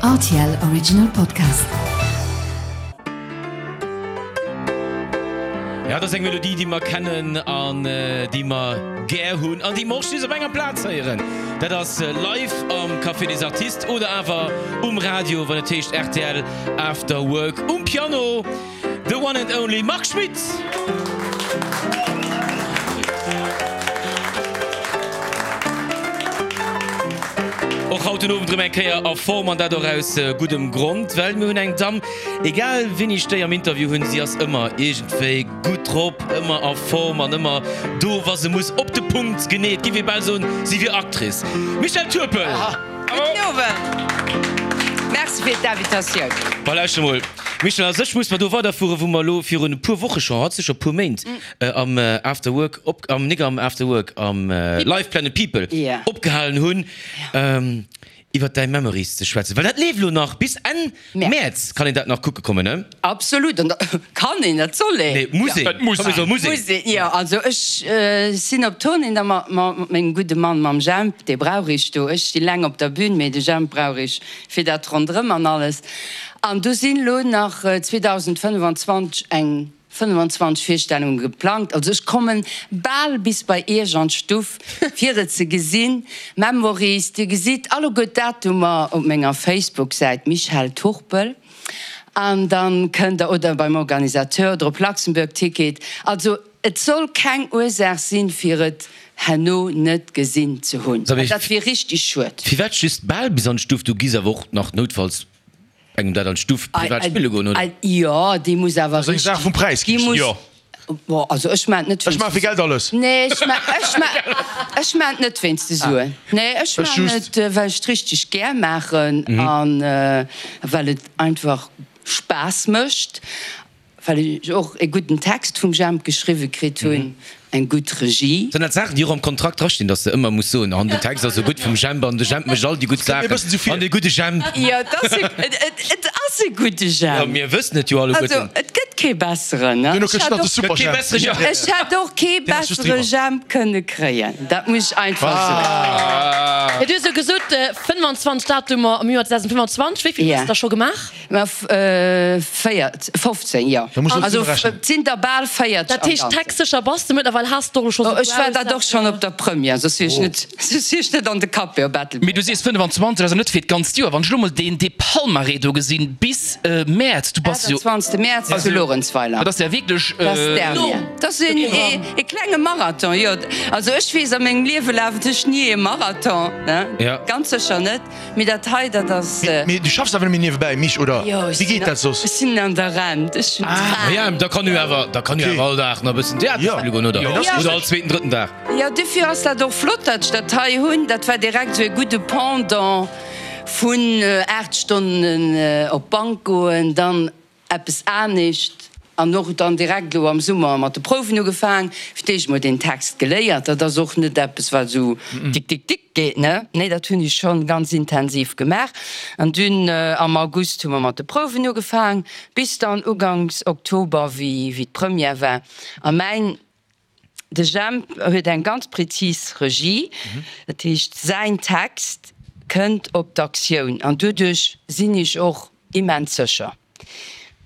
Rtl Original Podcast. Ja, dat ass eng Melodie, déi mer kennen an déi mer gär hunn an déi mer och just op enger Plaz héieren. Dat ass live am Café des Artistes oder awer um Radio, wann et heescht rtl After Work. Um Piano The one and only Marc Schmitt! Och haut den Owend rëm eng Kéier a Form, an dat och aus guddem Grond, well mir hunn eng Damm, egal wéini ech déi am Interview hunn, si ass ëmmer iergendwéi gutt drop, ëmmer a Form an ëmmer do wa se muss, op de Punkt genee. Et géif ee bal soen, si wier Actrice. Michèle Turpel! Gudden Owend! Merci fir d'Invitatioun. Bon, lauschter mol. Michel, a sech muss mer do weiderfueren, wou mer elo virun e puer Woche scho, haut sécher e puer Méint, am After Work op, am, nik am After Work, am Live Planet People opgehalen hunn, iwwert däi Memories ze schwätzen. Well dat leeft elo nach bis Enn Mäerz, kann een dat nach kucke kommen, ne? Absolut. An da kann een, dat soll een. Nee, muss een. Et muss een. Muss een. Jo, also ech sinn op Tournée da mat mengem gudde Mann, mam Jemp, dee brauch ech do. Ech sti laang op der Bühn, mee de Jemp brauch ech fir dat ronderëm an alles. An do sinn elo nach 2025 eng 25 Virstellunge geplangt. Also ech kommen bal bis bei Iech an d'Stuff fir et ze gesinn. Memories, Dir gesitt alleguer d'Datumer op menger Facebook-Säit Michèle Turpel an dann kënnt der, oder beim Organisateur oder op Luxembourg Ticket. Also et soll keng Ursaach sinn fir et herno net gesinn ze hunn. Dat wier richteg schued. Firwat just bal bis an d'Stuff? Du giss awer och nach noutfalls engem dat an d'Stuff privat spille goen, oder? Jo, déi muss awer Dat ass eng Saach vum Präis, déi muss, jo. Bon, also ech maan et net Ech maan fir Geld alles. Nee, ech maan, ech maan, ech maan et net wéinst de Suen. Nee, ech maan et, well ech et richteg gär maachen an well et einfach Spaass mécht. Well ech och e gudden Text vum Jemp geschriwwe kritt hunn, eng gutt Regie. Sinn dat Saachen, déi och am Kontrakt drastinn, dass de ëmmer muss soen, an den Text ass esou gutt vum Jemp an de Jemp mécht all déi gutt Saachen an dee gudde Jemp. Jo, et ass e, et ass e gudde Jemp. Jo, mir wëssen et jo alleguerten. Also, et gëtt kee besseren, ne? Duerno kënnt nach de Super Jemp. Gëtt kee bessere Jemp. Ech hätt och kee bessere Jemp kënne kréien, dat muss ech einfach soen. Jo, du hues jo gesot, 25 Datumer am Joer 2025. Wéi vill hues de der scho gemaach? Mä 15, jo. Also et sinn der bal 40 am Dat heescht, Ganzen. textsécher bass de mëttlerweil, has de och scho sou Ech war dat och schonn op der Première, soss wier ech net, soss wier ech net an de Café op Ettelbréck. Mee du sees 25, also net fir d'ganzt Joer. Wann ech elo mol deen, dee Palmarès do gesinn, bis Mäerz, du bass jo. 28. Mäerz zu Luerenzweiler. Dat ass ja wierklech. Dat ass d'Dernière. Dat ass een, ee klenge Marathon, jo. Also ech weess, a mengem Liewe lafen ech ni ee Marathon, ne, ganz sécher net. Mee dat hei, dat ass. Mee du schaffs awer net méi niewebäi, Mich, oder? Jo, ech Wéi geet dat soss? Ech sinn an der Rent, ech hunn d'Rent. Jo, da kann jo awer, da kann jo awer all Dag nach e bëssen Theater spille goen, oder? Oder all zweeten, drëtten Dag. Jo, dofir ass dat och flott, datt ech dat hei hunn. Dat war direkt esou e gudde Pendant vun 8 Stonnen op d'Bank goen, dann eppes anescht an och dann direkt elo am Summer mat de Prouwen ugefaang, fir d'éischt mol deen Text geléiert. Dat ass och net eppes wat esou dick dick dick geet, ne? Nee, dat hunn ech schonn ganz intensiv gemaach. An dunn am August hu mer mat de Prouwen ugefaang, bis dann uganks Oktober, wéi wéi d'Première war. A mäin De Jemp huet eng ganz prezis Regie, dat heescht säin Text kënnt op d'Aktioun an doduerch sinn ech och immens sécher.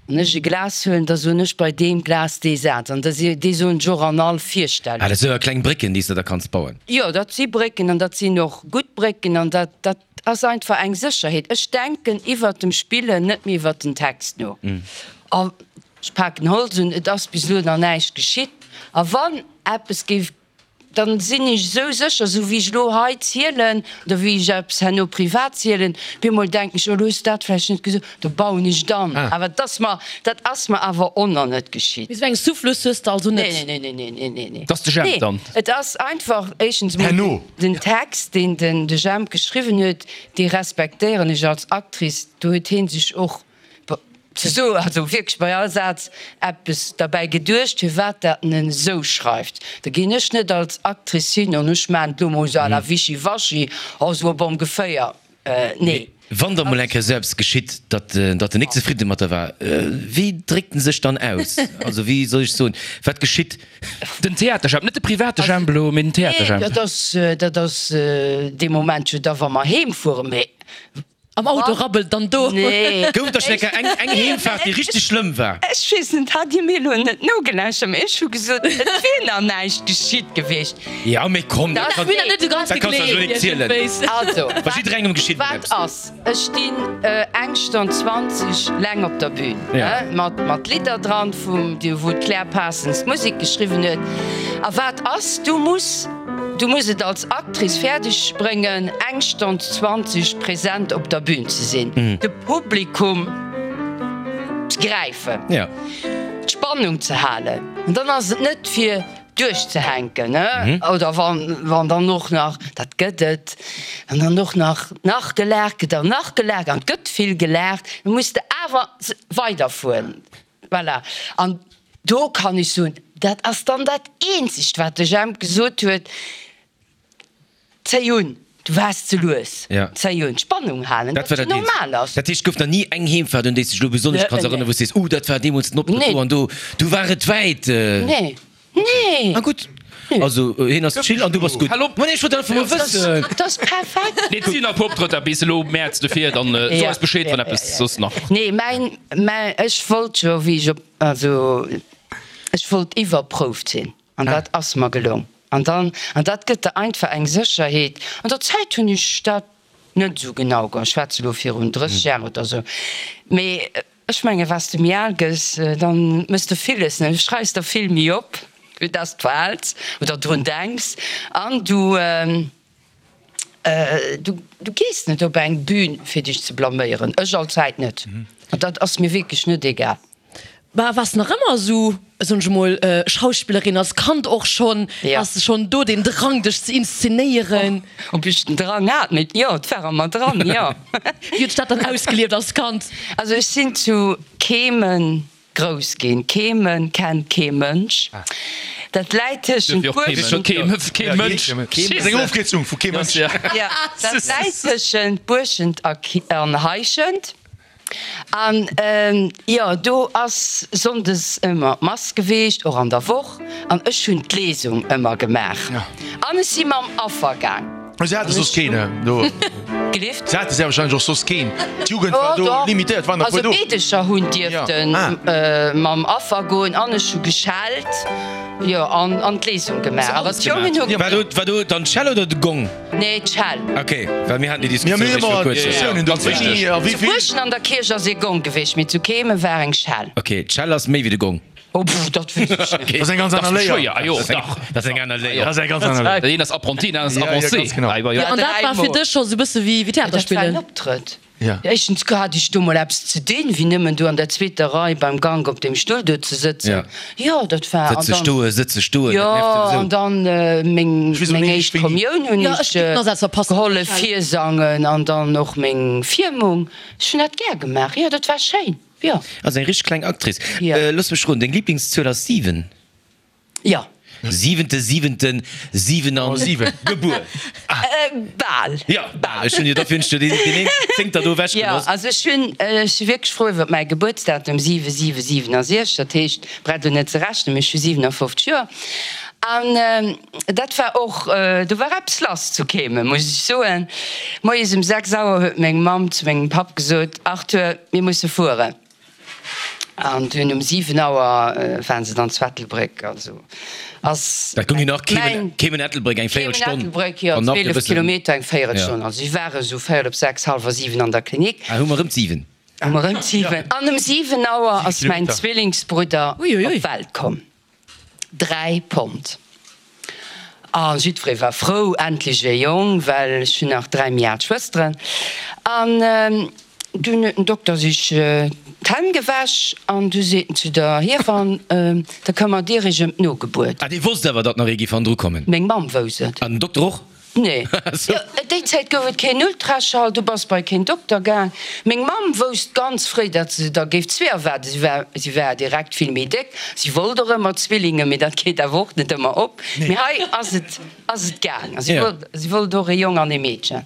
Wann ech e Glas huelen, da soen ech bei deem Glas dee Saz an dee soen ech och an all Virstellung. Ah, dat sinn awer kleng Brécken, déi s de da kanns bauen. Jo, dat si Brécken an dat sinn och gutt Brécken an dat, dat ass einfach eng Sécherheet. Ech denken iwwert dem Spillen net méi iwwert den Text no. A Ech paken Holz un, et ass bis elo nach näischt geschitt. A wann eppes géif, dann sinn ech esou sécher, esou wéi ech elo hei zielen oder wéi ech eppes herno privat zielen, op eemol denken ech, oh elo hues de dat vläicht net gesot, da bauen ech et an. Awer dat ass mer, dat ass mer awer och nach net geschitt. Mee esou eng Souffleuse hues de also net? Nee, nee, nee, nee, nee, nee, nee. Dat ass de Jemp dann. Nee, et ass einfach éischtens emol den Text, deen den de Jemp geschriwwen huet, dee respektéieren ech als Actrice. Do huet hee sech och Ze soen, also wierklech bei all Saz eppes derbäi geduecht, firwat dat en esou schreift. Da ginn ech net als Actrice hin an ech maachen et elo mol esou à la wischiwaschi, oh esou op ongeféier. Nee. Wann da mol eng Kéier esou eppes geschitt, datt datt en nik zefridde mat der war, wéi dréckt en sech dann aus? Also wéi soll ech soen, wat geschitt? Den Theaterjemp, net de private Jemp elo, mee den Theaterjemp. Nee, dat ass, dat ass dee Moment jo da wa mer heem fueren, mee. Am Auto rabbelt dann do. Nee. Gouf et da schonn eng Kéier eng, eng Heemfaart, déi richteg schlëmm war? Ech weess net, hat Dir mir elo net nogelauschtert, mee ech hu gesot, et wier nach näischt geschitt gewiescht. Ja, mee komm, dat kann, dat kanns du eis elo net zielen. Also, Bei jidderengem geschitt emol wat eppes. ass, ech stinn eng Stonn 20 laang op der Bühn, mat, mat Lidder dran, vum, wou d'Claire Parsons d'Musek geschriwwen huet. A wat ass, du muss. Du muss et als Actrice fäerdeg bréngen, eng Stonn 20 present op der Bühn ze sinn, de Publikum ze gräifen, d'Spannung ze halen. An dann ass et net fir duerchzehänken, oder wann dann och nach, dat gëtt et, wann dann och nach nach gelaacht gëtt an nach gelaacht, an et gëtt vill gelaacht, da muss de awer weiderfueren. Voilà. An do kann ech soen, dat ass dann dat eenzegt, wat de Jemp gesot huet, Zéi un, du waars ze lues, zéi un, d'Spannung halen, Dat dat war dat jo normal eenzegt. ass. Dat heescht, et gouf nach ni eng Heemfaart, un déi s de dech elo besonnesch kanns erënneren, wou s de sees, Uh, dat war deemools den Optrëtt do an do, do war et wäit. Nee. Nee! Ah gutt, also hien ass chill an du bass gutt. Hal op! Ma nee, ech wollt einfach mol wëssen. Dat ass perfekt! Nee, et sinn nach e puer Optrëtter bis elo Mäerz, dofir dann so eis Bescheed, wann eppes soss nach. Nee, mäin, mäin, ech wollt jo, wéi ech op, also ech wollt iwwerprouft sinn an dat ass mer gelong. An dann, an dat gëtt der einfach eng Sécherheet. An der Zäit hunn ech dat net esou genau, ech schwätze elo virun 30 Jar oder esou, mee Ech menge was de méi al gëss, dann mëss de villes, ne, du schreifs der vill méi op, wéi dass de verhäls oder drun denks an du du du gees net op eng Bühn fir dech ze blaméieren, ech allzäit net, an dat ass mir wierklech net egal. Bah, waars nach ëmmer esou, soen ech emol, Schauspillerin, als Kand och schonn? Has de schonn do den Drang dech ze inszenéieren? Ob ech den Drang hat? Mee jo, et war a mer dran, jo. Wéi huet sech dat dann ausgelieft als Kand? Also ech sinn zu Kehmen grouss ginn. Kehmen kennt kee Mënsch. Dat läit tëschent Buerschent. Kee Mënsch. Dat ass eng Ofkierzung vu kee Mënsch. Jo, dat läit tëschent Buerschent an Heischent. An jo, do ass sonndes ëmmer d'Mass geweecht, och an der Woch, an ech hunn d'Lesung ëmmer gemaach. An ech si mam Affer gaang. Se hate soss keen do. Gelift? Se hate sécherwahrscheinlech och soss keen. D'Jugend war do limitéiert, waren der Also puer do. Meedecher hunn dierfte mam Affer goen an ech hu geschellt, jo, an d'Lesung gemaach. Awer d'Jongen hu. War do dann d'Schell oder de Gong? Nee, d'Schell. Ok, well mir haten déi Diskussioun réischt viru kuerzem. Ganz wichteg. Zu Buerschen an der Kierch ass ee Gong gewiescht, mee zu Kehmen war eng Schell. Ok, d'Schell ass méi wéi de Gong. Oh pff, dat weess ech net. Dat ass eng ganz aner Léier. Ah jo, dach. Dat ass eng aner Léier. Dat ass eng ganz aner Léier. Dat een ass Apprenti, dat aner ass Avancé. Ja, ganz genau. Jo, an dat war fir dech scho sou bësse wéi Theater spillen? Dat war en Optrëtt. Ja. Éischtens hat ech do mol eppes ze dinn, wéi nëmmen do an der zweeter Rei beim Gank op deem Stull do ze sëtzen. Jo, dat war. Sëtze, stoe, sëtze, stoe, Jo, dat nervt souwisou. an dann meng, meng éischt Kommioun hunn Jo, ech ech géif nach selbst verpassen. gehollef virsangen an dann och meng Firmung. Ech hunn dat gär gemaach, jo, dat war schéin, jo. Also eng richteg kleng Actrice. Jo. Looss mech roden, deng Liblingszuel ass 7? Jo. Siwente siwenten 7 gebuer. Bal. Jo, bal. Ech hunn jo dofir hunn ech jo deen een Zéngter do ewech gelooss. Jo, also ech hunn, ech si wierklech frou iwwer mäi Gebuertsdatum, 7 7 67, dat heescht, braucht elo net ze rechnen, mee ech hu 57 Joer. An dat war och, do war eppes lass zu Kehmen, muss ech soen. Moies um 6 Auer huet meng Mamm zu mengem Papp gesot, Arthur, mir musse fueren. An dunn um 7 Auer waren se dann zu Ettelbréck. Also ass Dat goung jo nach Kehmen, Kehmen Ettelbréck eng Véierelstonn. Kehmen Ettelbréck, jo, 12 Kilometer, eng Véierelstonn. Also si ware sou véierel op 6, hallwer 7 an der Klinik. Ah, hu mer erëm d'Siwen. Hu mer erëm d'Siwen. An um 7 Auer ass mäin Zwillingsbrudder op d'Welt komm. 3 Pond. A jiddweree war frou, endlech e Jong, well ech hunn nach 3 méi al Schwësteren. An dunn huet den Dokter sech d'Hänn gewäsch an du seet en zu der Hiewann, Da këmmert Dir Iech ëm d'Nogebuert. Ah, dee wosst awer, datt nach ee géif hannendru kommen? Meng Mamm wousst et. An den Dokter och? Nee. Jo, déi Zäit gouf et keen Ultraschall, du bass bei keen Dokter gaang. Meng Mamm wousst ganz fréi, datt se der géif zwee erwaarden. Si war, si war direkt vill méi déck. Si wollt och ëmmer Zwillingen, mee dat geet awer och net ëmmer op. Mee hei ass et, ass et gaang. A si wollt, si wollt och e Jong an e Meedchen.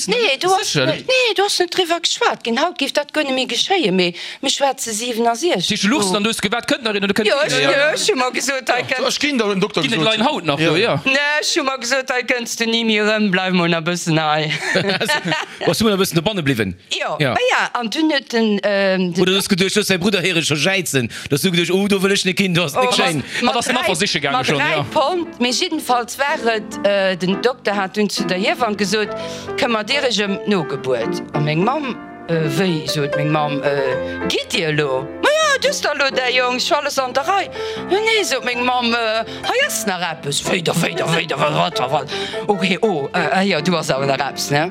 Nee, do ass, nee, do ass net driwwer geschwat ginn. Haut géif dat guer net méi geschéien, mee mir schwätze 67. Tisch luchst an du hues gewat, kënnt nach een oder kënnt Jo, ech, ech hu mer gesot, hei kënnt. Ech ginn der, huet den Dokter Ginn et gesot. Lein haut nach do, jo. Nee, ech hu mer gesot, hei kënns du ni. ni méi erëm, bleif mol nach e bëssen hei. Bass du mol e bëssen dobanne bliwwen? Jo, ma ja, an dunn huet den, den. Oder du hues geduecht, looss säi Brudder héiere scho jäizen, du hues du geduecht, oh do wëll ech nik hin, do ass et nik schéin. Hatt ass den Affer siche gaange schonn, jo. Mat 3 Pond, mee jiddenfalls war et, den Dokter hat dunn zu der Hiewann gesot, Këmmert dir iech ëm d'Nogebuert? A meng Mamm. Wéi, sot meng Mamm, gitt Dir elo? Ma jo, du hues der elo däi Jong, ech hu alles an der Rei. Jo, nee, sot meng Mamm, hei ass nach eppes. Wéi da, wéi da, wéi da, wat, wat, wat, wat? Ok, oh, ah jo, do ass awer nach eppes, ne?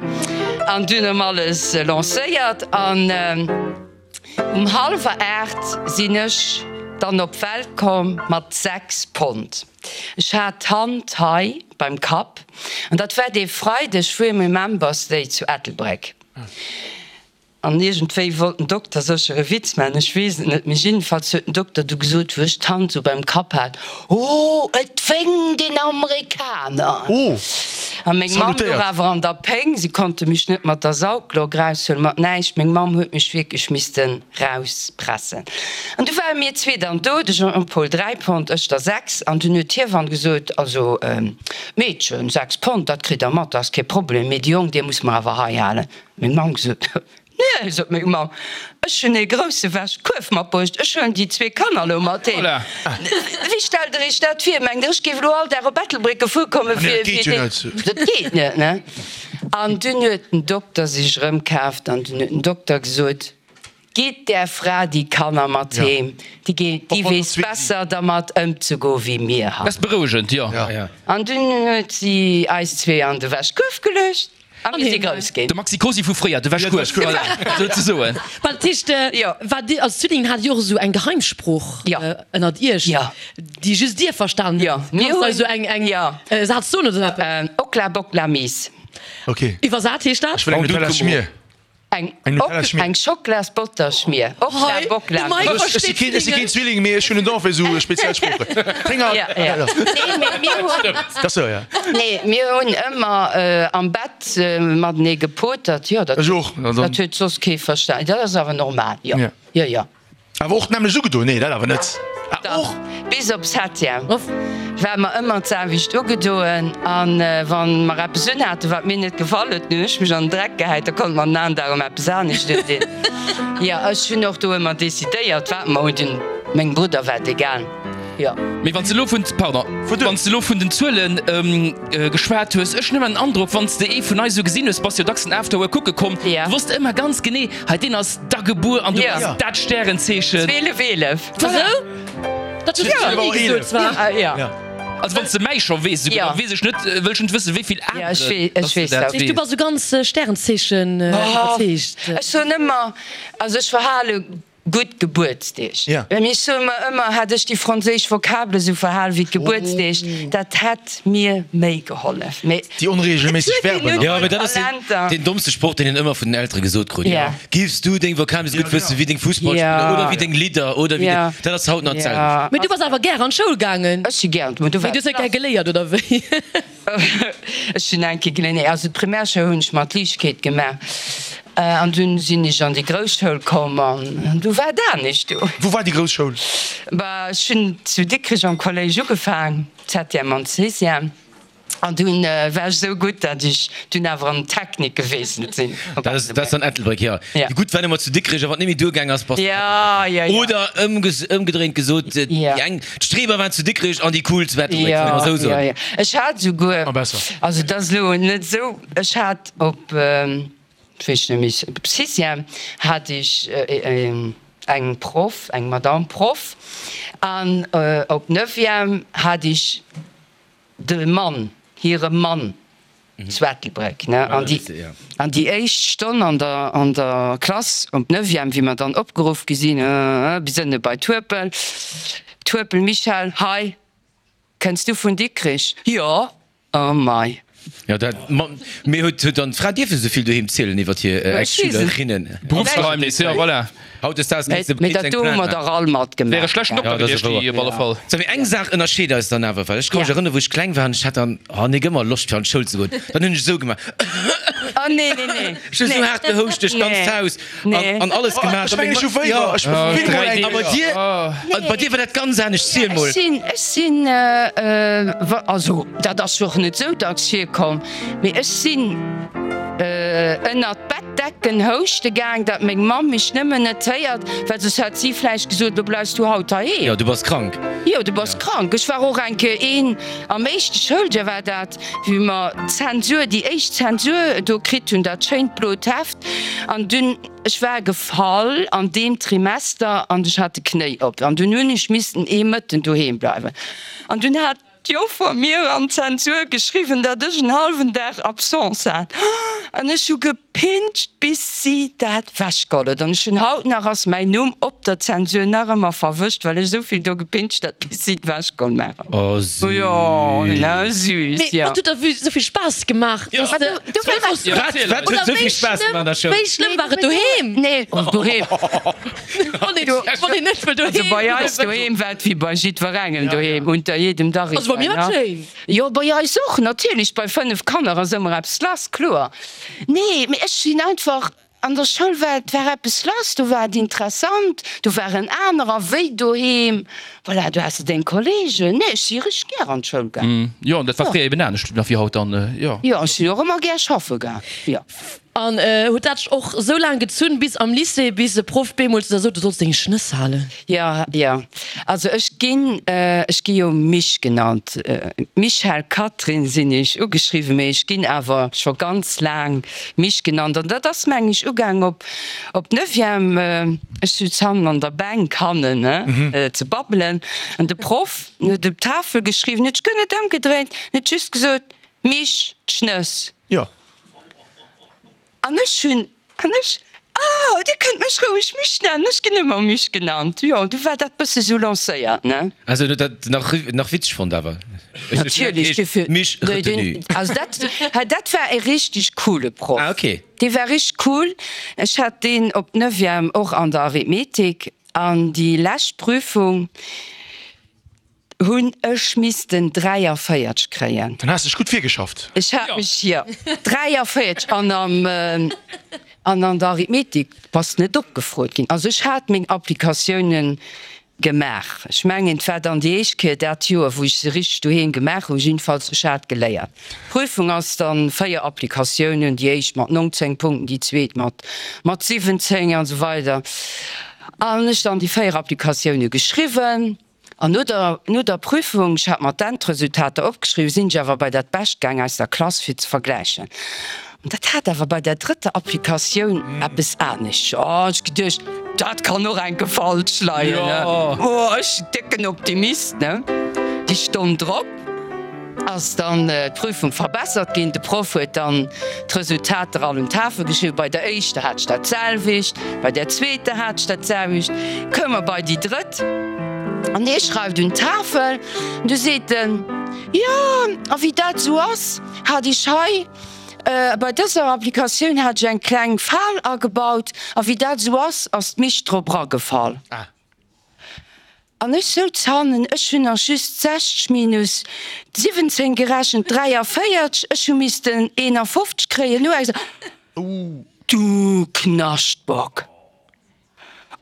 An dunn erëm alles lancéiert an um hallwer 8 sinn ech dann op d'Welt komm mat 6 Pond. Ech hat d'Hand hei beim Kapp an dat war dee Freideg virum Remembers Day zu Ettelbréck. An iergendwéi wollt den Dokter sécher e Witz maachen, ech weess et net, mee jiddefalls huet den Dokter du gesot, wou ech d'Hand sou beim Kapp hat, Oh, et wénkt een Amerikaner! A meng Mamm louch awer an der Péng, si konnte mech net mat der Sauglock raushuelen, mat näischt, meng Mamm huet mech wierklech misste rauspressen. An du ware mir zwee dann do, de Jean-Paul 3 Pond, ech der 6, an dunn huet d'Hiewann gesot, Also, Meedchen, 6 Pond, dat kritt der mat, dat ass kee Problem, mee de Jong, dee muss mer awer hei halen. Meng Mamm gesot, Nee, sot meng Mamm, ech hunn ee grousse Wäschkuerf matbruecht, ech huelen déi zwee Kanner elo mat heem. Wéi stellt der iech dat vir? Mengt der, ech géif elo all Dag op Ettelbréck gefuer kommen, fir déi. Dat geet net, ne? An dunn huet den Dokter sech erëmkaaft an dunn huet den Dokter gesot, Gitt där Fra déi Kanner mat heem, déi weess besser dermat ëmzegoen wéi mir hei. Dat ass berouegend, jo. An dunn huet si eis zwee an de Wäschkuerf geluecht a mir si grouss ginn. De Maxi Cosi vu fréier, de Wäschkuerf, voilà, souzesoen. Well dat heescht, war dir als Zwillingen, hat dir och esou eng Geheimsprooch ënnert iech, déi just dir verstanen hutt? Kanns de eis esou eng Saz soen oder esou eppes? Okla bokla mies. Iwwersat heescht dat? Ech wëll eng Nutella-Schmier. Eng Eng Schoklasbotterschmier. Okla bokla. Ech si keen Zwilling, mee ech hunn en Don fir esou speziell Sproochen. Nee, mir hunn ëmmer am Bett matenee gepotert. Jo, dat huet soss kee verstan. Dat ass awer normal, jo. Jo, jo. Awer och d'nämmlecht ugedoen? Nee, dat awer net. Ah, och? Bis op Septième ware mer ëmmer d'selwecht ugedoen. A wa mer eppes unhaten, wat mir net gefall huet, dann hunn ech mech an den Dreck gehäit, da konnte mer den aneren Dag erëm eppes anescht undinn. Jo, ech hunn och do ëmmer decidéiert, wat mer undinn. Mengem Brudder war et egal. Jo. Mee wann s de elo vun, pardon, wann s de elo vun den Zuelen geschwat hues, ech hunn ëmmer den Androck, wann s de ee vun eis esou gesinn hues, bass jo dacks den Afterwork kucke komm, du wosst ëmmer ganz genee, hei deen ass da gebuer an du bass dat Stärenzeechen. 12, 11. Voilà. Dat hues du nach ni gesot zwar. Ja. Also wann s de mäi scho weess, esouguer, da weess ech net, wëll ech net wëssen, wéi vill aneren dass de dat weess. Du bass esou ganz Stärenzeechen iwwerzeegt. Ech soen ëmmer, also ech verhale Gutt Gebuertsdeeg. Mee ech soe mer ëmmer, hätt ech déi franséisch Vokabele sou verhal wéi d'Gebuertsdeeg, dat hätt mir méi gehollef. Mee Déi onreegelméisseg Verben. Jo, mee dat ass deen dommste Sproch, deen een ëmmer vun den Eltere gesot krut. Giffs du deng Vokabele sou gutt wëssen wéi deng Fussballspiller oder wéi deng Lidder oder wéi deng. Dat ass haut nach d'selwecht. Mee du bass awer gär an d'Schoul gaangen. Ech si gär an d'Schoul. Mee du hues net gär geléiert, oder wéi? Ech hunn eng Kéier geléiert, nee, also d'Primärschoul hunn ech mat Liichtegkeet gemaach an dunn sinn ech an déi grouss Schoul komm an du war et anescht du. Wou war déi grouss Schoul? Bah, ech hunn zu Dikrech am Kolléisch ugefaang, Septième an Sixième, an dunn war ech esou gutt, dat ech dunn awer an d'Technik gewiesselt sinn. Dat ass, dat ass dann Ettelbréck, jo. Déi gutt war ëmmer zu Dikrech a wann et net méi duergaang ass, bass de Ja, ja, ja. Oder ëmgedréint gesot, déi eng, d'Streber waren zu Dikrech an déi cool zu Ettelbréck, solle mer esou soen. Ja, ja. Ech hat esouguer, also et ass elo net esou, ech hat op, ech weess net méi, op Sixième hat ech eng Proff, eng Madame Proff, an op Neuvième hat ech de Mann, hire Mann zu Ettelbréck, ne, an déi, an déi éischt Stonn an der, an der Klass op Neuvième, wéi mer dann opgeruff gi sinn, bis ënne bei Tuepel, Tuepel Michel, hei, kënns du vun Dikrich? Jo! Oh mei! Jo, dat, ma, mee huet, huet dann d'Fra dierfen esou vill doheem zielen iwwert hir Ex-Schülerinnen? Berufsgeheimnis, jo, voilà. Hautdesdaags kéints de Mee dat eng do hu Plainte mer maachen. dach all matgemaach. Wär e schlechten Dokter Ja, dat ass gewiescht, wouer. déi op alle Fall. Sou, mee eng Saach ënnerscheet eis dann awer, well ech ka mech erënneren, wou ech kleng war an ech hat dann, oh nik ëmmer Loscht fir an d'Schoul ze goen, dann hunn ech esou gemaach, Oh nee, nee, nee. ech hu esou haart gehouscht duerch d'ganzt Haus an an alles gemaach. Ech mengen, ech hu wéiwer, ech hu vill mol eng. A bei dir, bei dir war dat ganz anescht, ziel mol. Ech sinn, ech sinn, also dat ass jo och net esou dacks virkomm. komm, mee ech sinn ënnert d'Bettdecken houschte gaang, dat meng Mamm mech nëmmen net héiert, well soss hätt si vläicht gesot, Lo bleifs du haut heiheem. Jo, du bass krank. Jo, du bass krank. Ech war och eng Kéier een, am éischte Schouljoer war dat, wéi mer d'Zensur, déi éischt Zensur do kritt hunn, dat schéint blot Heft, an dunn, ech war gefall an deem Trimester an ech hat de Knéi op an dunn hunn ech missten ee Mëtten doheem bleiwen an dunn hat d'Joffer mir an d'Zensur geschriwwen, datt ech en hallwen Dag Absence hat an ech hu gepinscht bis si dat wechgeholl huet an ech hunn haut nach ass mäin Numm op der Zensur nach ëmmer verwëscht, well ech esou vill do gepinscht hat bis si et wechgeholl maachen. Oh süß. Jo, ne, süß, Mee jo. wat huet der esou vill Spaass gemaach? Ja. Dass de Wat, wat huet esou vill Spaass gemaach an der Schoul? Wéi schlëmm war et doheem? Nee, doheem. Wann een, wann een net wëll doheem. Also bei eis doheem war et wéi bei jiddwerengem doheem, unter jedem Dach ist Also bei mir war et schéin. Jo, bei eis och, natierlech, bei 5 Kanner ass ëmmer eppes lass, kloer. Nee, mee ech sinn einfach, an der Schoul war et war eppes lass, do war et interessant, do waren anerer wéi doheem, voilà, do has de deng Kollegen. Nee, ech si richteg gär an d'Schoul gaang. Jo, an dat war fréier eben anescht nach wéi haut dann, jo. Jo, ech sinn och ëmmer gär schaffe gaang, jo. An huet dat och sou laang gezunn bis am Lycée, bis e Proff bemol zu der sot, du solls deng Schnëss halen? Jo, jo. Also ech ginn, ech gi jo Mich genannt. Michèle Catherine sinn ech ugeschriwwen, mee ech ginn awer scho ganz laang Mich genannt. An dat ass meng ech ugaang op op Neuvième. Ech sutz hannen an der Bänk hannen, ne, ze babbelen. An de Proff huet op d'Tafel geschriwwen, huet sech guer net ëmgedréint, huet just gesot, Mich, d'Schnëss. Jo. An ech hunn, an ech, ah, Dir kënnt mech roueg Mich nennen, ech ginn ëmmer Mich genannt. Jo, du war dat bësse sou lancéiert, ne? Also huet dat nach, nach witzeg fonnt awer? Natierlech, dofir, Mich retenu. Also dat, hei dat war e richteg coole Proff. Ah, okay. Dee war richteg cool. Ech hat deen op Neuvième och an der Arithmetik an déi lescht Prüfung, Hunn ech missten 43 kréien. Dann has dech gutt virgeschafft. Ech hat mech, jo, 43 an am, an an der Arithmetik bass net opgefrot ginn. Also ech hat meng Applikatiounen gemaach. Ech mengen et war dann déi éischt Kéier dat Joer wou ech se richteg doheem gemaach hunn. Jiddefalls ech hat geléiert. D'Prüfung ass dann 4 Applikatiounen, déi éischt mat 19 Punkten, déi zweet mat mat 17 an esou weider. An ech dann déi 4 Applikatioune geschriwwen. An no der, no der Prüfung, ech hat mer d'Endresultater opgeschriwwen, sinn ech awer bei dat Bescht gaang aus der Klass fir ze vergläichen. An dat hat awer bei der drëtter Applikatioun eppes anescht. Oh, ech geduecht, dat kann och enke falsch leien, ne? Oh, ech décken Optimist, ne? Déi Stonn drop ass dann d'Prüfung verbessert ginn. De Proff huet dann d'Resultater all un d'Tafel geschriwwen. Bei der éischter hat ech dat selwecht, bei der zweeter hat ech dat selwecht. Koum mer bei déi drëtt an hie schreift un d'Tafel an du seet en, Jo, a wéi dat esou ass, hat ech hei bei dëser Applikatioun hat ech eng kleng Fal agebaut a wéi dat esou ass, ass d'Mich drop eragefall. An ech souz hannen, ech hunn nach just 60 minus 17 gerechent, 43, ech hu missten 51 kréien. Elo eng Du Knaschtbock!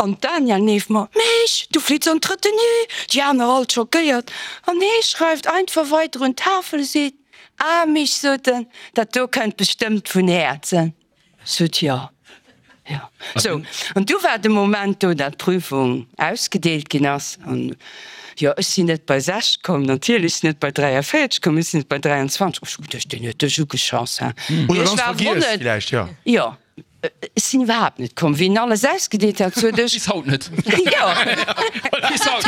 An d'Danièle neeft mer, Meesch, du flitts an d'Retenue! Déi aner all schockéiert. An hee schreift einfach weider un d'Tafel, seet, Ah Mich, sot en, dat do kënnt bestëmmt vun Häerzen. Sot jo. Jo. Sou, an du war de Moment do, dat d'Prüfung ausgedeelt ginn ass. An jo, ech sinn net bei 60 komm, natierlech sinn net bei 43 komm, ech sinn net bei 23. Ech hu geduecht, deen huet dech ugeschoss, hä? Oder Ech ganz war vergiess wonnert. villäicht, jo. Jo, ech sinn iwwerhaapt net komm. Wéi en alles ausgedeelt hat, sot ech. Bis haut net. Jo. Bis haut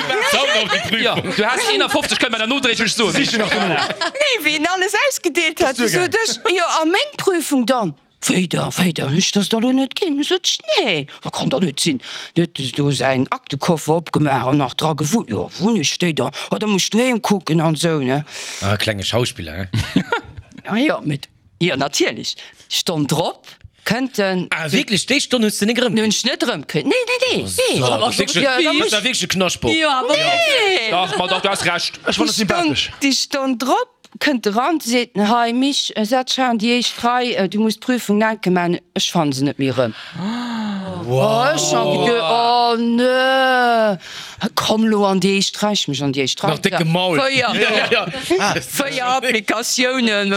net. Jo, du has 51, kënne mer der nodréiglech soen. Siche nach dono. Nee, wéi en alles ausgedeelt hat, du sot ech, jo, a meng Prüfung dann? Wéi da, wéi da, ech dass der lo net ginn? Sot ech, nee, dat kann der net sinn. Du huet e do säin Aktekoffer opgemaach an nach dra gewullt, jo, wunn ech déi da? Oh, da muss ech doheem kucken an esou, ne? Ah, klenge Schauspiller, he? Ah jo, mit, jo, natierlech. Stonn drop kënnt en. Ah, wierklech, déi Stonn hues de nik erëmkritt? Hunn ech net erëmkritt, nee, nee, nee, nee. So, dat ass wierklech, Jo, da dat muss ass wierklech e Knaschtbock. Jo, awer. Nee! Dach, ma dach, du has Recht. Ech fannen et sympathesch. Déi Stonn drop Kënnt eran, seet en, Hei Mich, setz dech an déi éischt Rei, du muss d'Prüfung enke man, ech fanne se net méi erëm. Oh, ech hu geduet, oh nee, komm lo an déi éischt Rei, ech mech an déi éischt Rei. Nach décke Maul. 4, 4 Applikatiounen.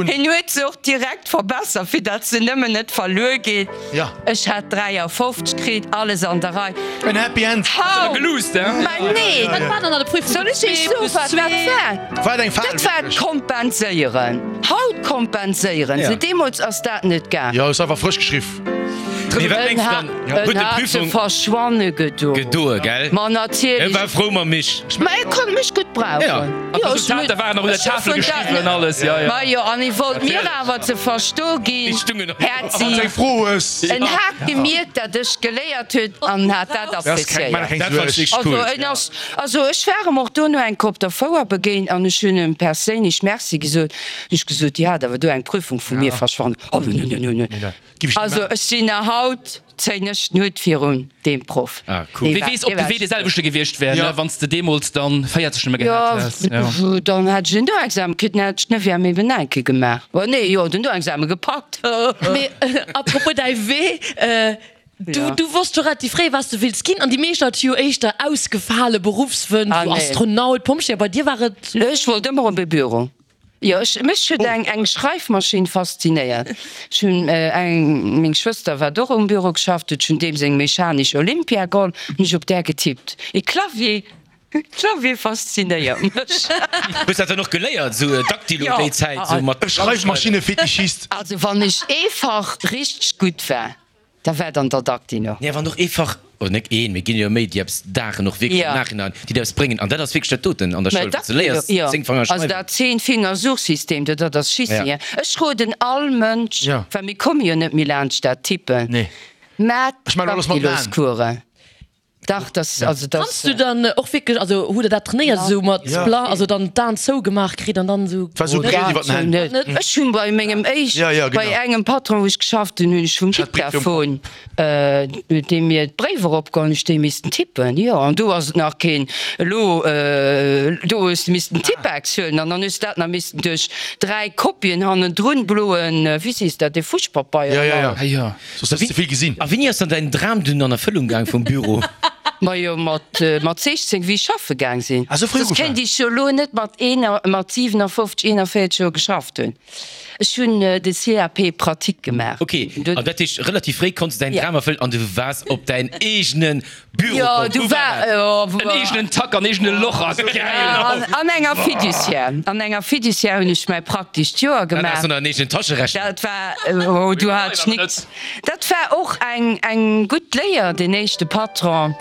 Hien huet se och direkt verbessert, fir datt se nëmmen net verluer geet. Ech hat 53 kritt, alles an der Rei. En Happy End. Hau! Geluusst, he? Mä nee! Wat war dann an der Prüfung? Soll ech iech soen, wat dat war? War et eng Fal? Dat war d'Kompenséieren. Haut kompenséieren se, deemools ass dat net gaang. Jo, hues einfach frësch geschriff. Mee wat mengs de dann? Huet En de hat se Prüfung verschwanne gedoen. gedoe, gell? Ma natierlech. E war frou mam Mich. Ma e konnt mech gutt brauchen. Ja. An d'Resultater waren och un der Tafel geschriwwen, alles, jo, jo. Ma jo, an e wollt mir awer ze verstoe ginn, Häerzi, en hat gemierkt, dat ech geléiert hunn an hat dat appréciéiert. Dat fand ech cool. Also en ass, also ech war em och dono eng Kéier op der Fouer begéint an ech hunn em perséinlech Merci gesot. Hunn ech gesot, Dir hat awer do eng Prüfung vu mir verschwannen. Oh, nö, nö, nö, nö. Also ech sinn nach haut, zéien ech den Hutt virun deem Proff. Ah cool. Wee weess, ob de Wee dee selwechte gewiescht wär, ne, wann s de deemools dann 40 nëmme gehat häss. Jo, dann hätt ech en Noexamen kritt, dann hätt ech d'Neuvième eben nach eng Kéier gemaach. Oh nee, jo, den Noexamen gepackt. Mee apropos däi Wee, du, du wosst scho relativ fréi, wat s de wills ginn, an déi meescht Leit hu jo éischter ausgefale Beruffswënsch, Ah wou nee. Astronaut, Pompjee, bei dir war et. Ech wollt ëmmer op e Büro. Jo, ech, mech huet eng, eng Schreifmaschinn faszinéiert. Ech hunn eng, meng Schwëster wat och um Büro geschafft huet, ech hunn deem seng mechanesch Olympia geholl, hunn ech op där getippt. E Clavier, Clavier faszinéiert mech. Hues dat dann och geléiert, esou Dactylo déi Zäit, esou mat. E Schreifmaschinne-Fetischist. Also wann ech ee Fach richteg gutt war, Da war dann der Dactylo. Nee, wann och ee Fach, oder net een, mee et ginn jo méi, déi eppes daachen och wierklech am Nachhinein, déi der eppes bréngen. An dat ass wierklech dat doten an der Schoul, wat s de léiers, 10 Fanger Also schreiwen. dat Zehn-Finger-Suchsystem, do, dat ass Schissi. Ech roden all Mënsch, well mir komme jo net méi laanscht dat Tippen, maacht Dactyloscoursen. Dach, das, also das. Kanns du dann och wierklech, also hutt der dat trainéiert esou mat bla, also dann d'Aen zougemaach kritt an dann esou? War esou breet iwwer den Hänn. Dat net. Ech hunn bei mengem éischt, bei engem Patron wou ech geschafft hunn, hunn ech vum Diktaphon, huet dee mir d'Bréiwer opgeholl, hunn ech déi missten tippen, jo. An do ass et nach keen, elo, do hues de missten Tippex huelen an dann hues de dat nach missten duerch 3 Kopien hannendrun, bloen, wéi sees dat, dee Fuschpapeier. Jo, jo, jo. Soss häss de vill gesinn. A wéini ass dann däin Dram dunn an Erfëllung gaang vum Büro? Majo mat mat 16 wéi ech schaffe gaang sinn. Ah, sou fréi Soss ugefaang. kéint ech jo elo net mat een mat 57, 41 Joer geschafft hunn. Ech hunn de CAP pratique gemaach. Ok, an dat heescht relativ fréi konns de däin Dram erfëllen an du waars op däin eegene Büro Jo, komm. du Wou war war dat? jo En eegenen Tack an eegene Loch a geil! An enger Fiduciaire. An enger Fiduciaire hunn ech mäi praktescht Joer Dat gemaach. ass an eegenen Tascherecher. Dat war, oh, du hat ech nix. Dat war och eng, eng gutt Léier, deen éischte Patron.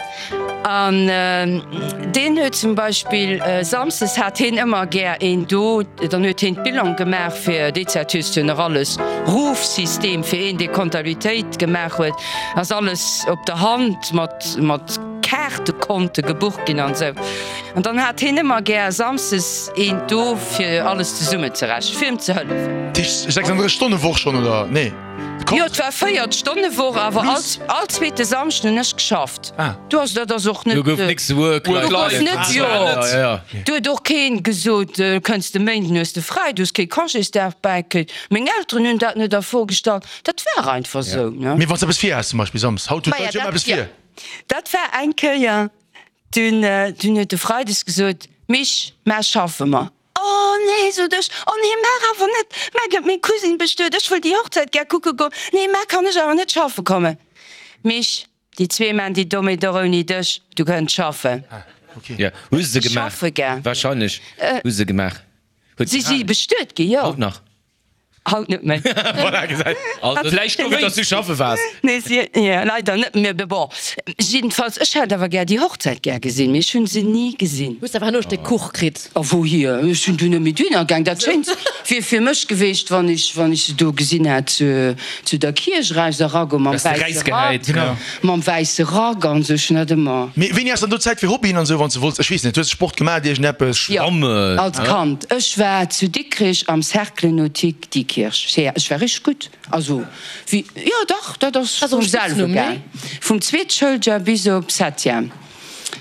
An deen huet zum Beispill, samsdes hat heen ëmmer gär een do, dann huet heen d'Bilan gemaach fir, déi Zäit hues du jo nach alles, Rufsystem fir een, dee Comptabilitéit gemaach huet. Ass alles op der Hand mat mat Kaartekonte gebucht ginn an esou. An dann hat heen ëmmer gär samsdes een do fir alles zesummen ze rechnen, fir em ze hëllefen. Dat heescht 36 Stonne Woch schonn oder nee? Jo, et war 4 Stonne Woch, awer all all zweete Samschden hunn ech geschafft. Do ass dat ass och net. Do gouf nix Work Do life gouf net, jo. Ja, ja. Do huet och keen gesot, kënns de Méinden hues de fräi, du hues kee Congésdag bäikritt. Meng Elteren hunn dat net a Fro gestallt. Dat war einfach sou, ne? Mee wann s de eppes vir has, zum Beispill Samsdes, haut huet Maja, d'Leit jo ëmmer dat, eppes ja, vir. dat war eng Kéier, dunn, dunn huet de Freides gesot, Mich, mar schaffe mer. Oh nee, sot ech, oh nee, mar awer net, mar gëtt meng Cousine bestuet, ech wëll déi Hochzäit gär kucke goen, nee, mar kann ech awer net schaffe kommen. Mich, déi zwee man déi Dommheet och ouni dech, du kënns schaffen. Ja, hu se gemaach. Schaffe gaang. Wahrscheinlech hu se gemaach. Huet Si si gehalen. bestuet gi, jo. Haut nach. Haut net méi. Voilà, gesäit. Also, Vläicht gutt, dass du schaffe waars. Nee, si, jo, leider net méi. Mee bon, jiddefalls, ech hätt awer gär déi Hochzäit gär gesinn, mee ech hunn se ni gesinn. Hues awer herno e Stéck Kuch kritt? A wouhier? Ech hunn du net méi duerno gaang. Dat Schéinst wier fir mech geweecht, wann ech, wann ech se do gesinn hätt zu, zu der Kierch eraus eragoen, mam Dass de wäisse Rack, räisgehäit, genau. mam wäisse Rack an esou. Ech hunn dat ëmmer. Mee wéini has dann do Zäit fir Hobbyen an esou, wann s de wollts, ech weess net, hues de Sport gemaach, iergendeppes? Jo, Schwammen, als Kand. Ech war zu Dikrich am Cercle Nautique Diekirch. Sea, ech war richteg gutt. Also, wéi, jo dach, dat ass Ass och vum e selwe Spitznummen, gaang. nee? Vum zweet Schouljoer bis op Septième.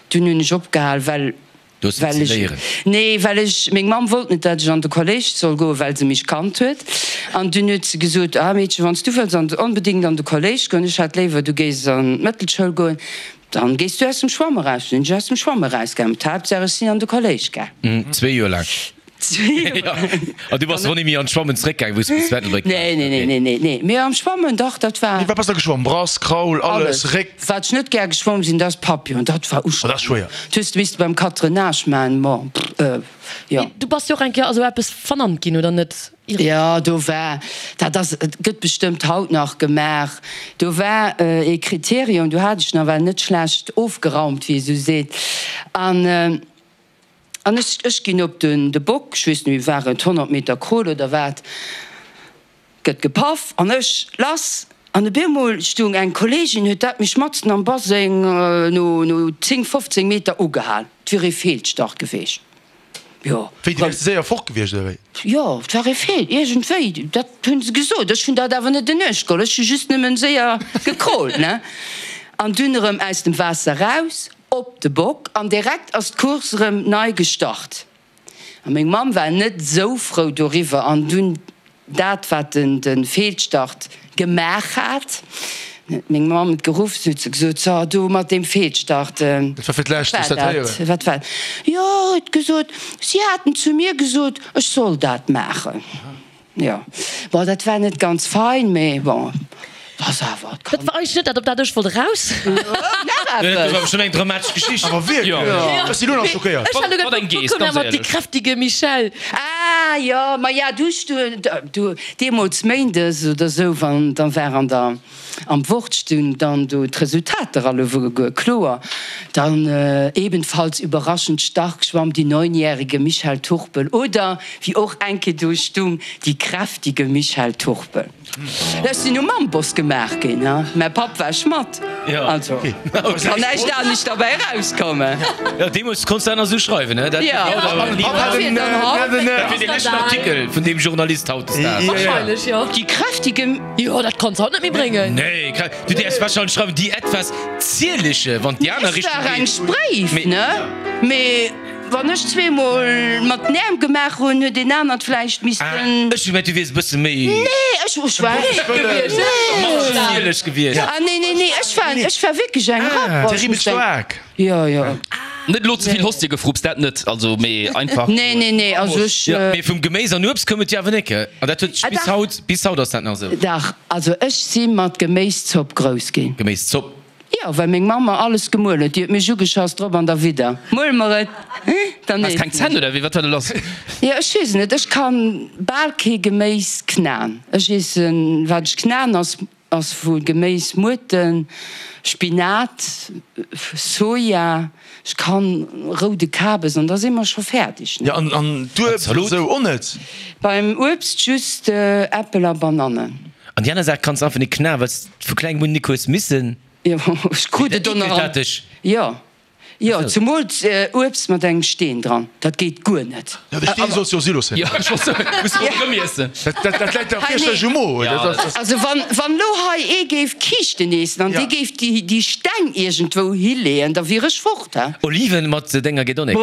Dunn hunn ech opgehal, well. Du hues Well missen ech, léieren. nee, well ech, meng Mamm wollt net, dat ech an de Kolléisch soll goen, well se mech kannt huet. An dunn huet se gesot, Ah Meedchen, wann s du wëlls an, onbedéngt an de Kolléisch goen, ech hätt léiwer, du géiss an d'Mëttelschoul goen, dann gees du aus dem Schwamm eraus. Dunn sinn ech aus dem Schwamm erausgaangen. D'Haaptsaach, ech sinn an de Kolléisch gaang. Zwee Joer laang. An du bass och ni méi an d'Schwammen zeréckgaangen, wou s du bis zu Ettelbréck waars? Nee, nee, nee, nee, nee, nee. Mee am Schwammen, dach, dat war. Mee wat bass da geschwomm? Brass, Kraul, alles, Réck? Wat ech net gär geschwomm sinn, dat ass Papillon. Dat war ustrengend. Oh, dat ass schwéier. Dat hues de misste beim Catrennage maachen. Bon, jo. Mee du bass jo och eng Kéier a sou eppes vernannt ginn, oder net? Jo, do war, dat ass, et gëtt bestëmmt haut nach gemaach, do war ee Kriterium, do hat ech nawell net schlecht ofgeraumt, wéi ee sou seet. An. An ech, ech ginn op den, de Bock, ech weess net méi, war et 100 Meter Crawl oder wat, gëtt gepaff an ech, lass! An op eemol stung eng Kolleegin, huet dat mech matzen am Baseng no, no 10, 15 Meter ugehal. Et wier ee Feelstart geweecht. Jo. Wéi, du wäers ze séier fort gewiescht, oder wéi? Jo, et war ee Feel, iergendwéi, dat hunn se gesot. Ech hunn dat awer net en Uecht geholl, ech hu just nëmmen séier gecrawlt, ne? An dunn erëm aus dem Waasser raus. Op de Bock an direkt ass d'Course erëm nei gestart. A meng Mamm war net esou frou doriwwer an dunn dat wat den de Feelstart gemaach hat, huet meng Mamm et geruff, se huet se gesot, so do mat deem Feelstart, Dat war fir d'lescht, wou s dat héieren. Wat war dat? Jo, huet gesot, si haten zu mir gesot, ech soll dat maachen. Jo, bon, dat war net ganz fein, mee bon, ass awer. Dat war eigentlech net dat, op dat ech wollt eraus. Nach Dat ass eppes? awer schonn eng dramatesch Geschicht. Awer wierklech, ech sinn elo nach schockéiert. Ech hat elo Wat eng geduecht, wou Geest, koum ganz mat déi éierlech. kräftige Michèle? Ah jo, ma ja, du, du, deemools méindes oder sou, wann dann war an der. Am Wort stung dann do d'Resultater alleguer kloer. Dann ebenfalls überraschend stark schwamm die neunjährige Michèle Turpel oder, wéi och eng Kéier do stung, die kräftige Michèle Turpel. Ech sinn um Amboss gemaach ginn, mäi Papp war Schmadd, also kann näischt anescht derbäi erauskommen. Jo, deemools konns de dat nach esou schreiwen, dat wier dee leschten Artikel vun deem Journalist hautdesdaags. Wahrscheinlech, jo. Die kräftige. Jo, dat kanns haut net méi bréngen. Nee, du däerfs wahrscheinlech schreiwen, déi etwas zierliche, wann déi aner Richtung geet. Ech war eng Spréif, ne? Mee wann ech zweemol mat den Äerm gemaach hunn, huet een anert vläicht missten. Ah, ech hu gemengt, du wiers e bësse méi. Nee, ech war. Zierlech gewiescht. Ah, nee, nee, nee, ech war, ech war wierklech eng Rapp. Terribel staark. Jo, jo. Net elo ze vill Hostie gefrupst, dat net, also mee einfach. Nee, nee, nee, also ech. Jo, mee vum Geméis an Uebst koum et jo awer nik, an dat huet sech bis haut, bis haut ass dat nach esou. Dach, also ech si mat Geméiszopp grouss ginn. Geméiszopp? Jo, well meng Mamm mer alles gemuel huet. Déi huet mech ugeschass, drop an derwidder, Muel mer et, dann Has keng iessen Zänn ech. oder wéi? Wat war do lass? Jo, ech weess et net, ech kann bal kee Geméis knaen. Ech iessen, wat ech knaen, ass Ass vu Geméis, Muerten, Spinat, Soja, ech kann roude Kabes an da si mer scho fäerdeg, ne? Jo, an d'Uebst Zalot. esou och net? Beim Uebst just Äppel a Banannen. An déi aner Saach kanns de einfach net knaen, well s de vu klengem un nik hues missen. Jo, ech krut et och nach an. Jo. Jo, zumools Uebst mat engem Steen dran, dat geet guer net. Jo, de Steen solls jo si loossen. Jo, ech wollt soen, muss de och erëm iessen. Dat läit der fierchterlech um Mo. Also wann elo hei ee géif Kiischten eessen an dee géif déi Steng iergendwou hileeën, da wier ech fort, he? Oliven mat denger geet och nik.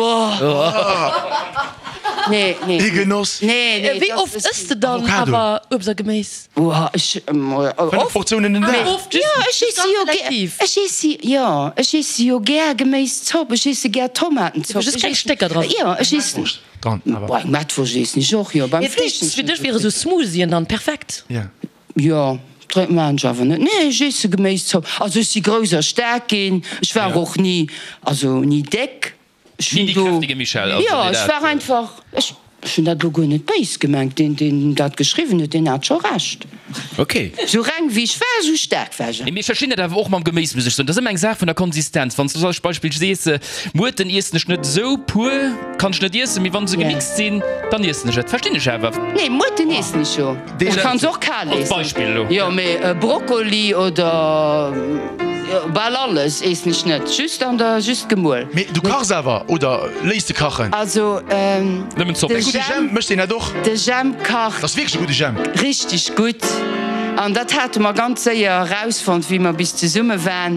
Nee, nee. Ee Genoss. Nee, nee. Wéi oft ëss de dann awer Uebst a Geméis? Oha, ech oft. Portiounen den Dag. Oft, Jo, ech iesse jo gär, ech iesse, jo, ech iesse jo gär Geméiszopp, ech iesse gär Tomatenzopp. Just keng Stécker dran. Jo, ech iessen. Dran, awer. Boah, eng Mettwurscht iessen ech och, jo, beim Fleesch. Fir dech wiere sou Smoothien dann perfekt. Jo. Jo, drénk maan ech awer net. Nee, ech iesse Geméiszopp. Also ech si grouss a staark ginn, ech war och ni, also ni déck. Ech Ni hunn déi do, kräftige Michèle, also jo, déi ech dat. war einfach, ech hunn dat elo guer net béis gemengt, deen, deen dat geschriwwen huet, deen hat scho Recht. Ok. Sou reng wéi ech war, sou staark war ech. Mee ech verstinn dat awer och mam Geméis, muss ech soen. Dat ass ëmmer eng Saach vun der Konsistenz. Wann s du als Beispill sees, Muerten iessen ech net esou pur, kann ech net iessen, mee wa se gemixt sinn, dann iessen ech et. Verstinn ech awer. Nee, Muerten iessen ech jo. Ech kann se och kal Als iessen. Beispill elo. Jo, mee Brokkoli oder bal alles iessen ech net. Just an der, just gemuel. Mee du kachs awer oder léiss de kachen? Also Nëmmen Zopp. de Gudde Jam, Jam, mécht een dat och? de Jam kacht. Dat ass wierklech e gudde Jam. Richteg gutt. An dat hate mer ganz séier erausfonnt, wéi mer bis zesumme waren.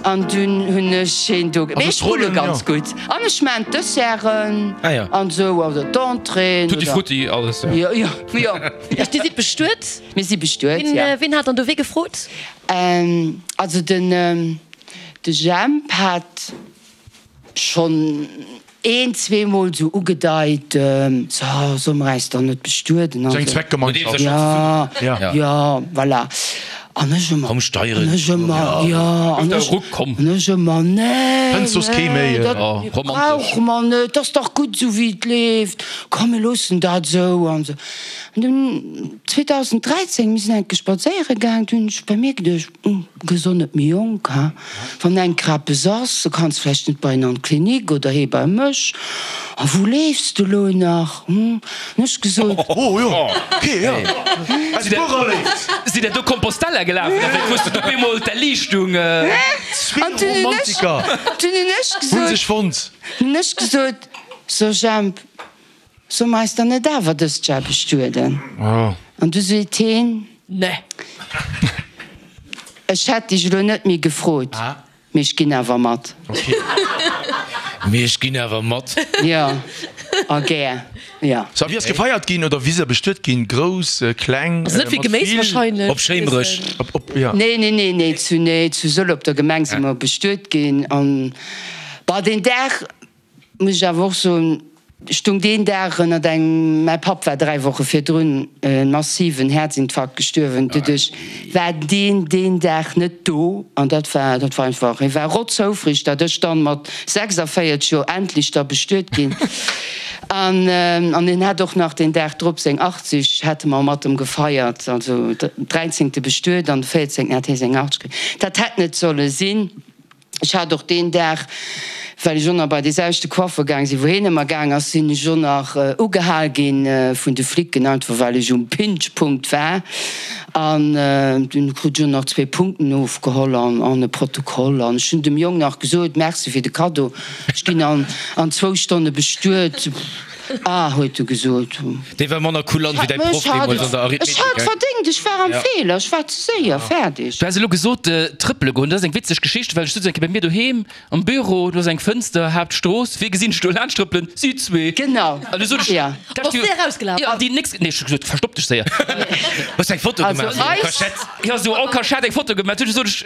An dunn hunn ech heen do. Mee ech rulle ganz gutt. An ech maan d'Desserten an esou, oder d'Entréeën. Tutti frutti, alles, jo. Jo, jo. Dir sidd bestuet? Mir si bestuet, jo. Ween hat dann do wee gefrot? Also den de Jemp hat schonn een, zweemol esou ugedeit, so, solle mer äis dann net bestueden an Sou eng esou. Zweckgemeinschaft. Ja, Ja. ja, voilà. An ech ëmmer, Komm, Steieren. an ech ëmmer, jo, an ech, Ruck, komm. an ech ëmmer, nee, Fënns soss kee nee, méi. dat Oh, romantesch. brauche mer net, 't ass dach gutt esou wéi et leeft, komm mir loossen dat esou an esou. An dunn 2013, mir sinn enke spadséiere gaang, du hunn ech bei mir geduecht, Hm, gëss och net méi jonk, ha? Wann enker eppes ass, du kanns vläicht net bei en an d'Klinik oder hee bei mech. A wou leefs de lo nach, hm? Hunn ech gesot. Oh jo, ok, jo. Aus Buererléift. Sidd der do Compostela gelaf oder wéi? Wou s de op eemol d'Erliichtung. Zwee An dunn hunn ech, Romantiker dunn hunn ech hunn gesot, sech fonnt. hunn ech gesot, So Jemp, Soll mer eis dann net awer dëst Jar bestueden? An du seet heen. Nee. Ech hätt dech elo net méi gefrot, mee ech ginn awer mat. Mee ech ginn awer mat. Jo, a gär, jo. So, a wéi ass gefeiert ginn oder wéi sidd der bestuet ginn? Grouss, kleng, Also net vill mat Geméis vill? wahrscheinlech. Op Schéimerech. Op, op, ja. Nee, nee, nee, nee, zu, nee, zu Sëll op der Gemeng si mer bestuet ginn. An, bah, deen Dag. Muss ech awer och soen, stung deen Dag ënnert engem, mäi Papp war 3 Woche virdrun e massiven Häerzinfarkt gestuerwen, doduerch war deen deen Dag net do an dat war, dat war einfach, hie war rotzhoufreg, datt ech dann mat 46 Joer endlech da bestuet ginn an an hien hat och nach deen Dag drop seng 80, hate mer mat em gefeiert, also dräizéngte bestuet an de véierzéngten hat hie seng 80 kritt. Dat hätt net solle sinn. Ech hat och deen Dag, well ech och nach bei dee selwechte Coiffer gaang sinn, wou heen ëmmer gaang ass, sinn ech och nach ugehal gi vun de Flicken, einfach well ech um Pinchpunkt war. An dunn krut ech och nach zwee Punkten ofgeholl an an e Protokoll. An ech hunn dem Jong nach gesot, Merci fir de Kaddo, ech ginn an zwou Stonne bestuet. Ah, huet e gesot. Dee war manner kulant wéi däi Proff deemools an der Arithmetik. Ech hat verdéngt, ech war am Feeler, ech war ze séier fäerdeg. Du has elo gesot, trëppele goen, dat ass eng witzeg Geschicht, well ech sutz eng Kéier bei mir doheem am Büro, do ass eng Fënster, Haaptstrooss, wee gesinn ech do laanscht trëppelen? Si zwee. Genau, An du sot ech, jo. Bass du erausgelaf? Jo, an déi nächst, nee, ech hu gesot, verstopp dech séier. Hues du eng Foto gemaach, esou en Cachette? Jo, esou en Cachette eng Foto gemaach. Du sot ech,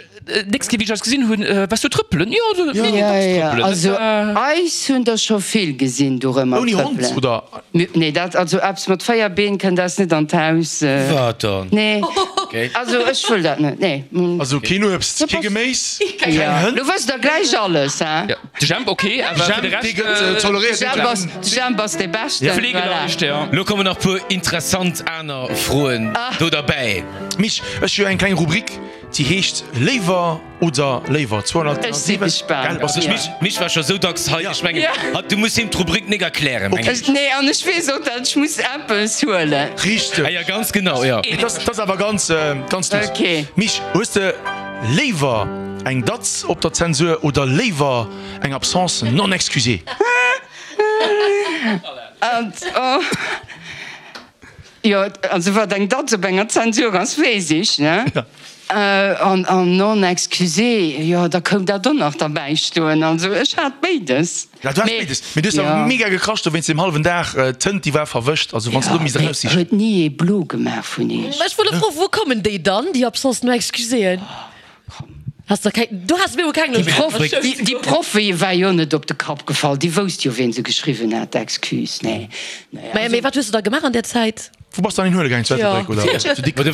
Nächst Kéier wéi ech eis gesinn hunn, waars du trëppelen? Jo, du, Ja, nee, ja, dacks ja. trëppelen. Also eis hunn der scho vill gesinn dorëmmer Ouni Hond, trëppelen. oder? Nee, dat, also eppes mat 4 Been kënnt eis net an d'Haus. Wat dann? Nee, Okay. also ech wëll dat net, nee. Also keen Uebst, kee Geméis, keng Ja, Hënn? lo wësst der gläich alles, hä? Ja, de Jemp ok, awer fir de Jemp, dee Rescht, gëtt toleréiert. De Jemp ass, de Jemp ass dee Beschten, voilà. Fleegeleicht, ja. Lo kommen nach puer interessant aner Froen do derbäi. Mich, ech hu eng kleng Rubrik. Déi heescht Léiwer oder Léiwer 207. Ech si gespaant. Gell, bass du? Mich, mich war scho sou dacks hei. Ech mengen, hatt, du muss him d'Rubrik nik erklären, meng ech. Nee, an ech weess och, datt ech muss eppes huelen. Richteg. Ah ja, ganz genau, ja. Mee dat ass awer ganz, ganz duuss. Ok. Mich, hues de léiwer eng Datz op der Zensur oder léiwer eng Absence non excusée? An, oh. Jo, also wat eng Datz op enger Zensur ass, weess ech, ne? An, an non excusée, jo, da koum dat och nach derbäi stoen. Also ech hat béides. Ja, du has béides, mee du hues awer mega gekrasch do wéinst deem hallwen Dag. D'Tënt, déi war verwëscht, also wann s de do misst eraussichen. Huet ni ee blo gemaach vun iech? Ech wollt elo froen, wou kommen déi dann, déi Absences non excuséeën? Has der keng, du has mir keng Déi Proff, déi Proff war jo net op de Kapp gefall, déi wousst jo wien se geschriwwen hat, d'Excuse, nee. Mä mee wat hues du da gemaach an där Zäit? Wou bass du dann hin huele gaang? Zu Ettelbréck oder zu Dikrech?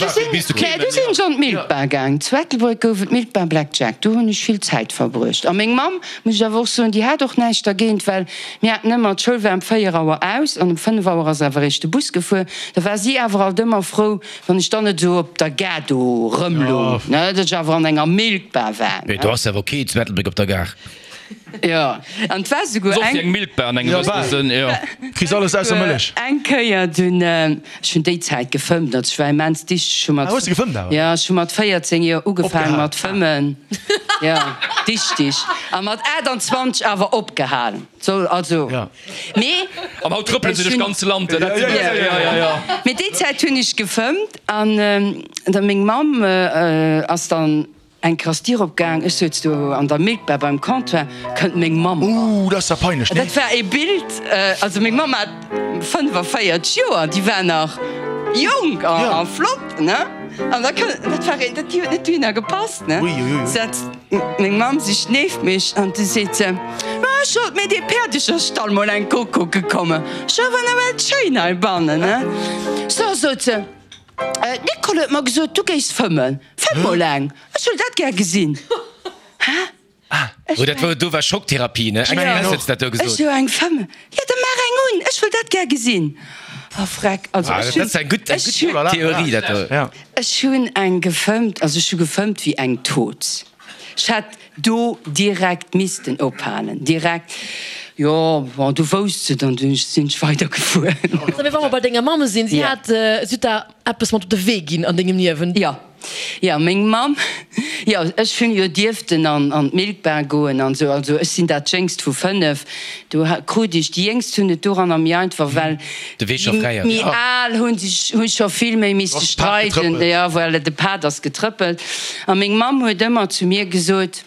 Nee, du sinn ech an d'Milkbar gaang. Zu Ettelbréck gouf et d'Milkbar Black Jack, do hunn ech vill Zäit verbruecht. A meng Mamm, muss ech awer och soen, déi hat och näischt dergéint, well mir haten ëmmer, d'Schoul war ëm 4 Auer aus an ëm 5 Auer ass awer eréischt de Bus gefuer, da war si awer alt ëmmer frou, Wann ech dann net esou op der Gare do rëmlung, ne, datt ech awer an enger Milkbar war, Mee ne. do ass awer ok zu Ettelbréck op der Gare. Jo, an et war souguer Soss eng. eng Milkbar an engem gewëssene Sënn, jo. Kriss alles ausser Mëllech. Eng Kéier dunn, ech hunn déi Zäit gefëmmt, also ech war immens dichteg, ech hu mat. Ah, hues de gefëmmt awer? Jo, ech hu mat 14 Joer ugefaangen mat fëmmen. Jo, dichtig. A mat 28 awer opgehal. Soll also. Mee. An haut trëppelen se duerch d'ganze Land. Dat sinn jo, jo, jo, jo. Mee déi Zäit hunn ech gefëmmt an da meng Mamm ass dann eng Kéier ass d'Dier opgaang, ech souz do an der Milkbar beim Comptoir, kënnt meng Mamm eran. Ooh, dat ass ja peinlech, nee? Dat war ee Bild, also meng Mamm hat 45 Joer, déi war nach jonk a flott, ne? An da kënnt, dat war een, dat huet net dohinner gepasst, ne? Setzt meng Mamm sech nieft mech an du seet se, Ma ech wollt mir dee Päerdecherstall mol eng Kuck kucke kommen, ass jo awer nawell schéin heibannen, ne? So, sot se, d'Nicole huet mer gesot, du géifs fëmmen, fëmm mol eng, ech wëll dat gär gesinn. Hä? Oh, dat war, do war Schocktherapie, ne? Express huet se dat do gesot. Ech sou, eng fëmmen? Jo, da maach eng un, ech wëll dat gär gesinn. Oh freck, also ech hunn, dat ass eng gutt, eng gutt Theorie, dat do. Ech hunn eng gefëmmt, also ech hu gefëmmt wéi eng Toz. Ech hätt do direkt missten ophalen, direkt. Jo, bon, du wousst se dann, dunn sinn ech weidergefuer. Mee wa mer bei denger Mamm sinn, si hat, si huet der eppes mat op de Wee ginn an dengem Liewen. Jo. Jo, meng Mamm, jo, ech hunn jo dierften an an d'Milkbar goen an esou, also ech sinn dat jéngst vu 5, do krut ech, déi Jéngst hunn et doranner méi einfach, well De Wee scho fräi ass. déi méi al hunn sech, hu scho vill méi misste streiden, jo, voilà, de Pad ass getrëppelt. A meng Mamm huet ëmmer zu mir gesot,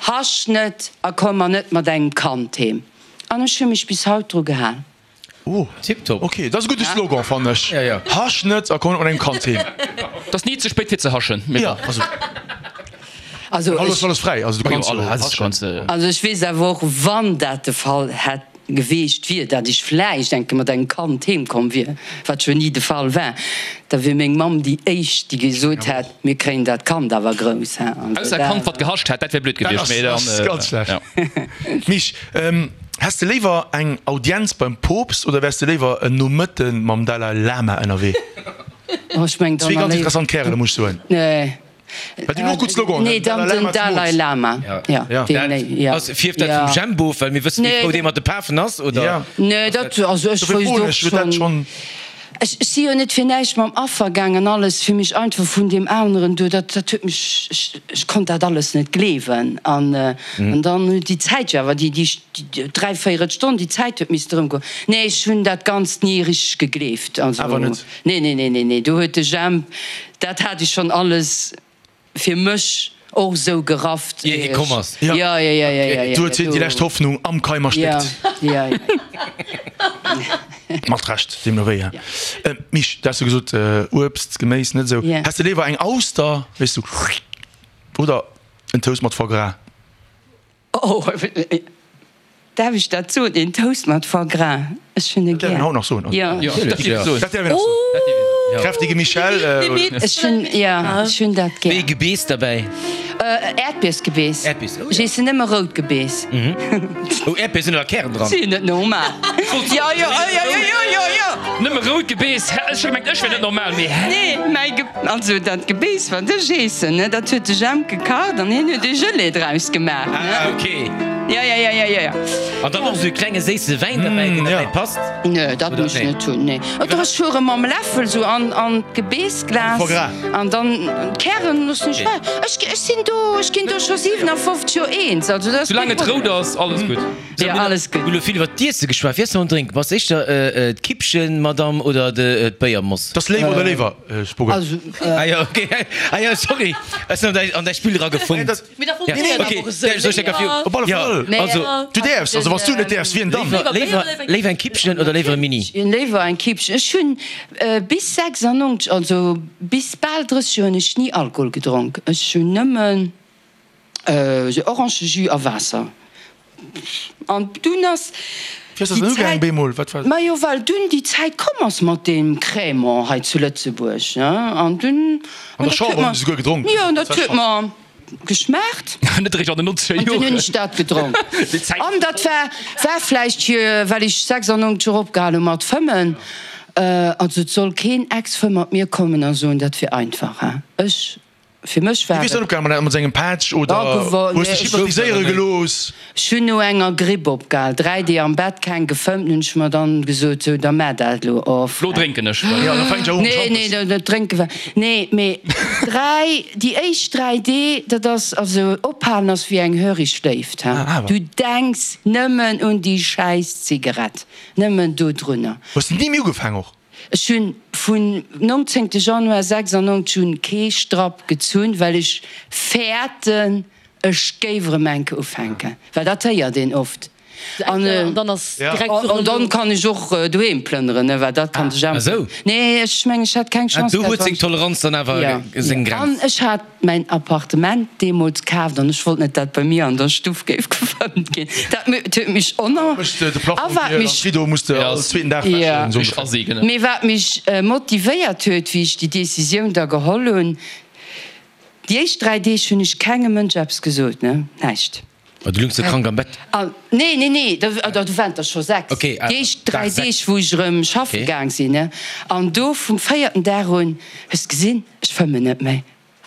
Hasch net a komm mer net mat engem Kand heem. An ech hu mech bis haut dru gehal. Oh, Tiptop. Ok, dat ass e gudde Slogan, fannen ech. Ja, ja. Hasch net a komm net mat engem Kand heem. Et ass ni ze spéit fir ze haschen, mee Ja, bon. also. Also Haut ass ech. alles fräi, also du kanns jo haschen. Also ech weess awer och, wann dat de Fall hätt geweecht wier, dat ech vläicht eng Kéier mat engem Kand heem komm wier, wat jo ni de Fall war, da wier meng Mamm déi éischt, déi gesot hätt, mir kréien dat Kand awer grouss. Hein. Also Ausser e Kand, wat gehascht hätt, dat wär blöd Dat gewiescht, ass, mee dann, ass ganz schlecht. ja. Mich, Häss de léiwer eng Audienz beim Poopst oder wäers de léiwer en Nomëtte mam Dalai Lama ënnerwee? Oh, ech meng Zwee ganz interessant Kärele, muss ech soen. Nee. Well déi hunn och gutt Sloganen, Nee, den dann Dalai den Lama Dalai zemools. Lama. Ja, Ja. deen, nee, ja. Ass, fierft dat vum Jemp of, well mir wëssen, wéi frou dee mat de Pafen ass, oder? Ja. Nee, dat, also ech Dofir wousst froen och ech, huet dat schonn. schonn. Ech si jo net fir näischt mam Affer gaang an alles fir mech einfach vun deem aneren do, dat dat huet mech, ech ech konnt dat alles net gleewen. An an dann huet déi Zäit jo awer, déi déi dräivéierel Stonn, déi Zäit huet misste erëmgoen. Nee, ech hunn dat Ganzt ni richteg gegleeft. Also Awer net? nee, nee, nee, nee, nee, do huet de Jemp, dat hat ech schonn alles fir mech och esou gerafft. Ier hie komm ass. Ja, ja, ja, ja, ja, ja. Du huet hien déi lescht Hoffnung am Keim erstéckt. Ja, ja, ja. Mat Recht, deemno wéi. Mich, du has jo gesot, Uebst, Geméis net esou. Ja. Häss de léiwer eng Auster, wéis du, oder en Toast mat Foie Gras? Oh, Darf ech dat soen? Een Toast mat Foie gras, ech hunn e Dat däerf een gär. haut nach soen. Jo. Jo, dat dierf ee soen. Dat däerf een nach soen. Kräftige Michèle. Ech hunn, jo, ech hunn dat Wéi gär. Gebeess derbäi? Äerdbiersgebeess. Äerdbiers, oh jo. Ech eessen nëmme rout Gebeess. Oh, Äerdbier sinn awer Kären dran. Sinn net normal. Jo, jo, jo, jo, jo, jo, jo. Nëmme rout Gebeess? Hä, ech hu gemengt, ech wier net normal, mee hä? Nee, mäi Ge, also dat Gebeess, wat ech eessen, ne, dat huet de Jemp gekacht an hien huet e Gelee draus gemaach, ne. Ah, ok. Jo, jo, jo, jo, jo, jo. An dann och esou e klenge séisse Wäin derbäi, deen derbäi passt? Nee, dat muss ech net hunn, nee. Oder ech fuere mam Läffel sou an, an d'Gebeessglas an dann d'Kären loossen ech ewech. Ech, ech sinn do, ech ginn do scho 57 Joer eens, also dat ass Soulaang kee et rout Problem. ass, alles gutt. Jo, alles gutt. Mir hu lo vill iwwer d'Iesse geschwat. Wéi ass mam Drénken? Bass éischter d'Kippchen-Madame oder d'Béiermoss? T'ass léiwer oder léiwer, Spuggel? Also, Ah jo, ok. Ah jo, sorry, ech sinn an däi Spill eragefunkt. Mee da funktionéiert awer och esou. Op alle Fall. Also, Du däerfs, also wann s du net däerfs, wien dann? Léiwer, léiwer eng Kippchen oder léiwer e Mini? Léiwer eng Kippchen. Ech hunn bis 96, also bis bal 30 Joer hunn ech ni Alkohol gedronk. Ech hunn nëmmen Orangejus a Waasser. An dunn ass Wéi ass dat déi dann ugaangen Zäit, bemol? Wat war? majo well dunn déi Zäit komm ass mat deem Crémant hei zu Lëtzebuerg, ne, an dunn, An an der dat huet Chamber hunn mer, se souguer gedronk. jo, an Dat dat war huet schonn. mer geschmaacht. Net eréischt an den 90er An dunn hunn Joren. ech dat gedronk. Déi Zäit. An dat war, war vläicht hier, well ech 96 och opgehal hu mat fëmmen. Also et soll keen Ex-Fëmm mat mir kommen a soen, dat wier einfach, hein. Ech. Fir mech war Wéi hues du et. dann opgehal? Mat engem Patch oder hues dech hypnotiséiere gelooss? Ech hunn no enger Gripp opgehal. 3 Deeg am Bett, keng gefëmmt. Hunn ech mer dann gesot, sou, da maach dat elo of. Lo drénken ech. Jo, da fänkt jo un. Nee, nee, dat dat drénke war, nee, mee 3, déi éischt 3 Deeg, dat ass, also ophalen ass wéi eng hörig Léift, ha. Du denks nëmmen un déi schäiss Zigarett, nëmmen dodrunner. Hues de ni méi ugefaang och? Ech hunn vun 19 Januar 96 un kee Strapp gezunn, well ech fäerten ech géif erëm enke ufänken, well dat héiert een oft. An dann kann ech och doheem plënneren, ne, well dat kann sech awer. Nee, ech mengen ech hätt keng Chance. Do huet seng Toleranz dann awer seng Grenz. An ech hat mäin Appartement deemools kaaft an ech wollt net dat bei mir an der Stuff géif gefëmmt ginn. Dat huet mech oner a wat mech mee wat mech motivéiert huet wéi ech déi Decisioun da geholl hunn, déi éischt 3 Deeg hunn ech kengem Mënsch eppes gesot, ne, näischt. Ma du lungs jo krank am Bett. Nee, nee, nee, do waren der scho 6. Okay, Déi éischt Dag 3 6. Deeg wou ech erëm schaffe gaang sinn, ne, an do vum véierten Dag un, hues de gesinn, ech fëmmen net méi.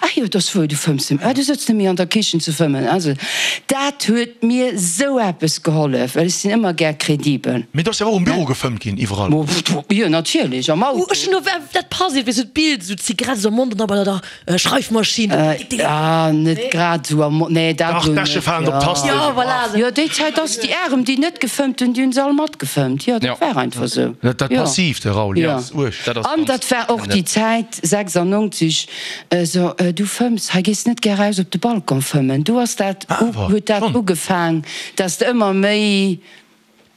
Ah jo, et ass wuer, du fëmms net méi. Ah, du sëtz net méi an der Kichen ze fëmmen. Also, dat huet mir sou eppes gehollef, well ech sinn ëmmer gär kredibel. Mee do ass jo och um Büro gefëmmt ginn, iwwerall. Jo, natierlech, am Auto. Ech hunn elo, dat passt iergendwéi sou d'Bild, sou d'Zigarett sou am Mond an da bei der Schreifmaschinn. Ah, net grad sou am Mond, nee, dat Dach, elo net. d'Äsche falen op d'Tasten. Jo, voilà. Jo, déi Zäit ass déi Arem, déi net gefëmmt hunn, déi hunn se all matgefëmmt. Jo, dat war einfach sou. Dat Passiivt, de Raoul, dat ass uerg. An dat war och déi Zäit, 96, So, du fëmms, hei gees net gär raus op de Balcon fëmmen. Du ass dat, huet dat ugefaang, dass de ëmmer méi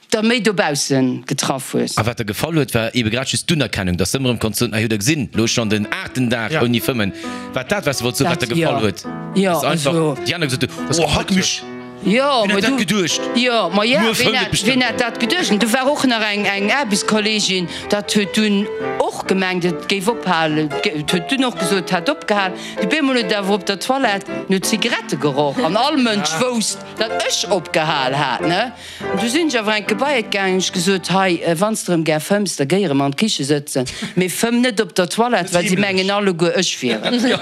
der méi dobausse getraff hues. A wat der gefall huet, war ebe grad just d'Unerkennung, dass de ëmmer erëm konns soen, ah, hutt der gesinn, lo ech schonn den aachten Dag ouni fëmmen. Wat dat, wat s de wollt soen, wat der gefall huet, dass einfach déi aner gesot hunn, oh, hack mech. Jo, Wien ma hätt dat du, geduecht? jo, ma ja, Muer wien fëmmt et hätt, bestimmt wien hätt dat geduecht? An du war och nach eng, eng Aarbechtskolleegin, dat huet dunn och gemengt, et géif ophalen, et huet dunn och gesot, et hätt opgehal. Du bemol huet et awer op der Toilette no Zigarette geroch an all Mënsch wousst, datt ech opgehal hat, ne? An du sinn ech awer enke bei et gaangen, hunn ech gesot, hei, wann s de erëm gär fëmms, da géi erëm an d'Kiche sëtzen, mee fëmm net op der Toilette, well si mengen alleguer, ech wier et.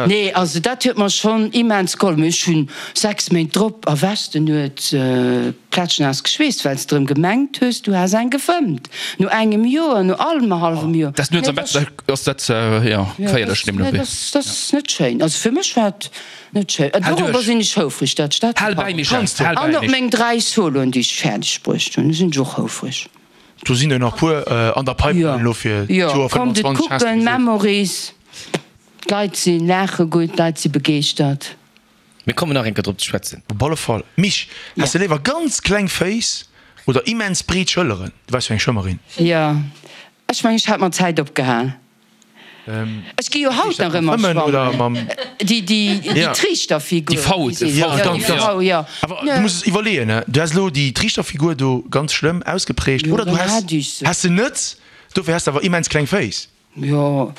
Nee, also dat huet mer schonn immens gehollef. Mee ech hunn 6 Méint drop a Westen huet plätschnaass geschweesst, well s de erëm gemengt hues, du häss eng gefëmmt. No engem Joer, no annerhallwem Joer. Dat nuets am Bett ass dat, jo, geféierlech deemno wéi. Dat ass net schéin. Also fir mech war et net schéin. An dorobber sinn ech houfreg, dat ech dat Hal bäi, Michèle, hal bäi, An op Mich. meng 3 Soloen, déi ech fäerdeg bruecht hunn, do sinn ech och houfreg. Do sinn der nach puer an der Pipeline elo fir Jo, d'Joer kommt et 25, has de kucken, gesot. Memories. D'Leit si laache gutt, d'Leit si begeeschtert. Mir kommen nach eng Kéier drop ze schwätzen. Op alle Fall. Mich, häss de léiwer ganz kleng Féiss oder immens breet Schëlleren? Du waars jo eng Schwëmmerin. Jo, ech mengen, ech hat mat Zäit opgehal. Ech gi jo haut nach ëmmer schwammen. Déi, déi, déi Triichterfigur. Déi V, déi Jo, V, jo. Awer du muss es iwwerleeën, ne? Du häss elo déi Triichterfigur do ganz schlëmm ausgeprägt, oder du häss, häss se net, dofir häss de awer immens kleng Féiss. Jo,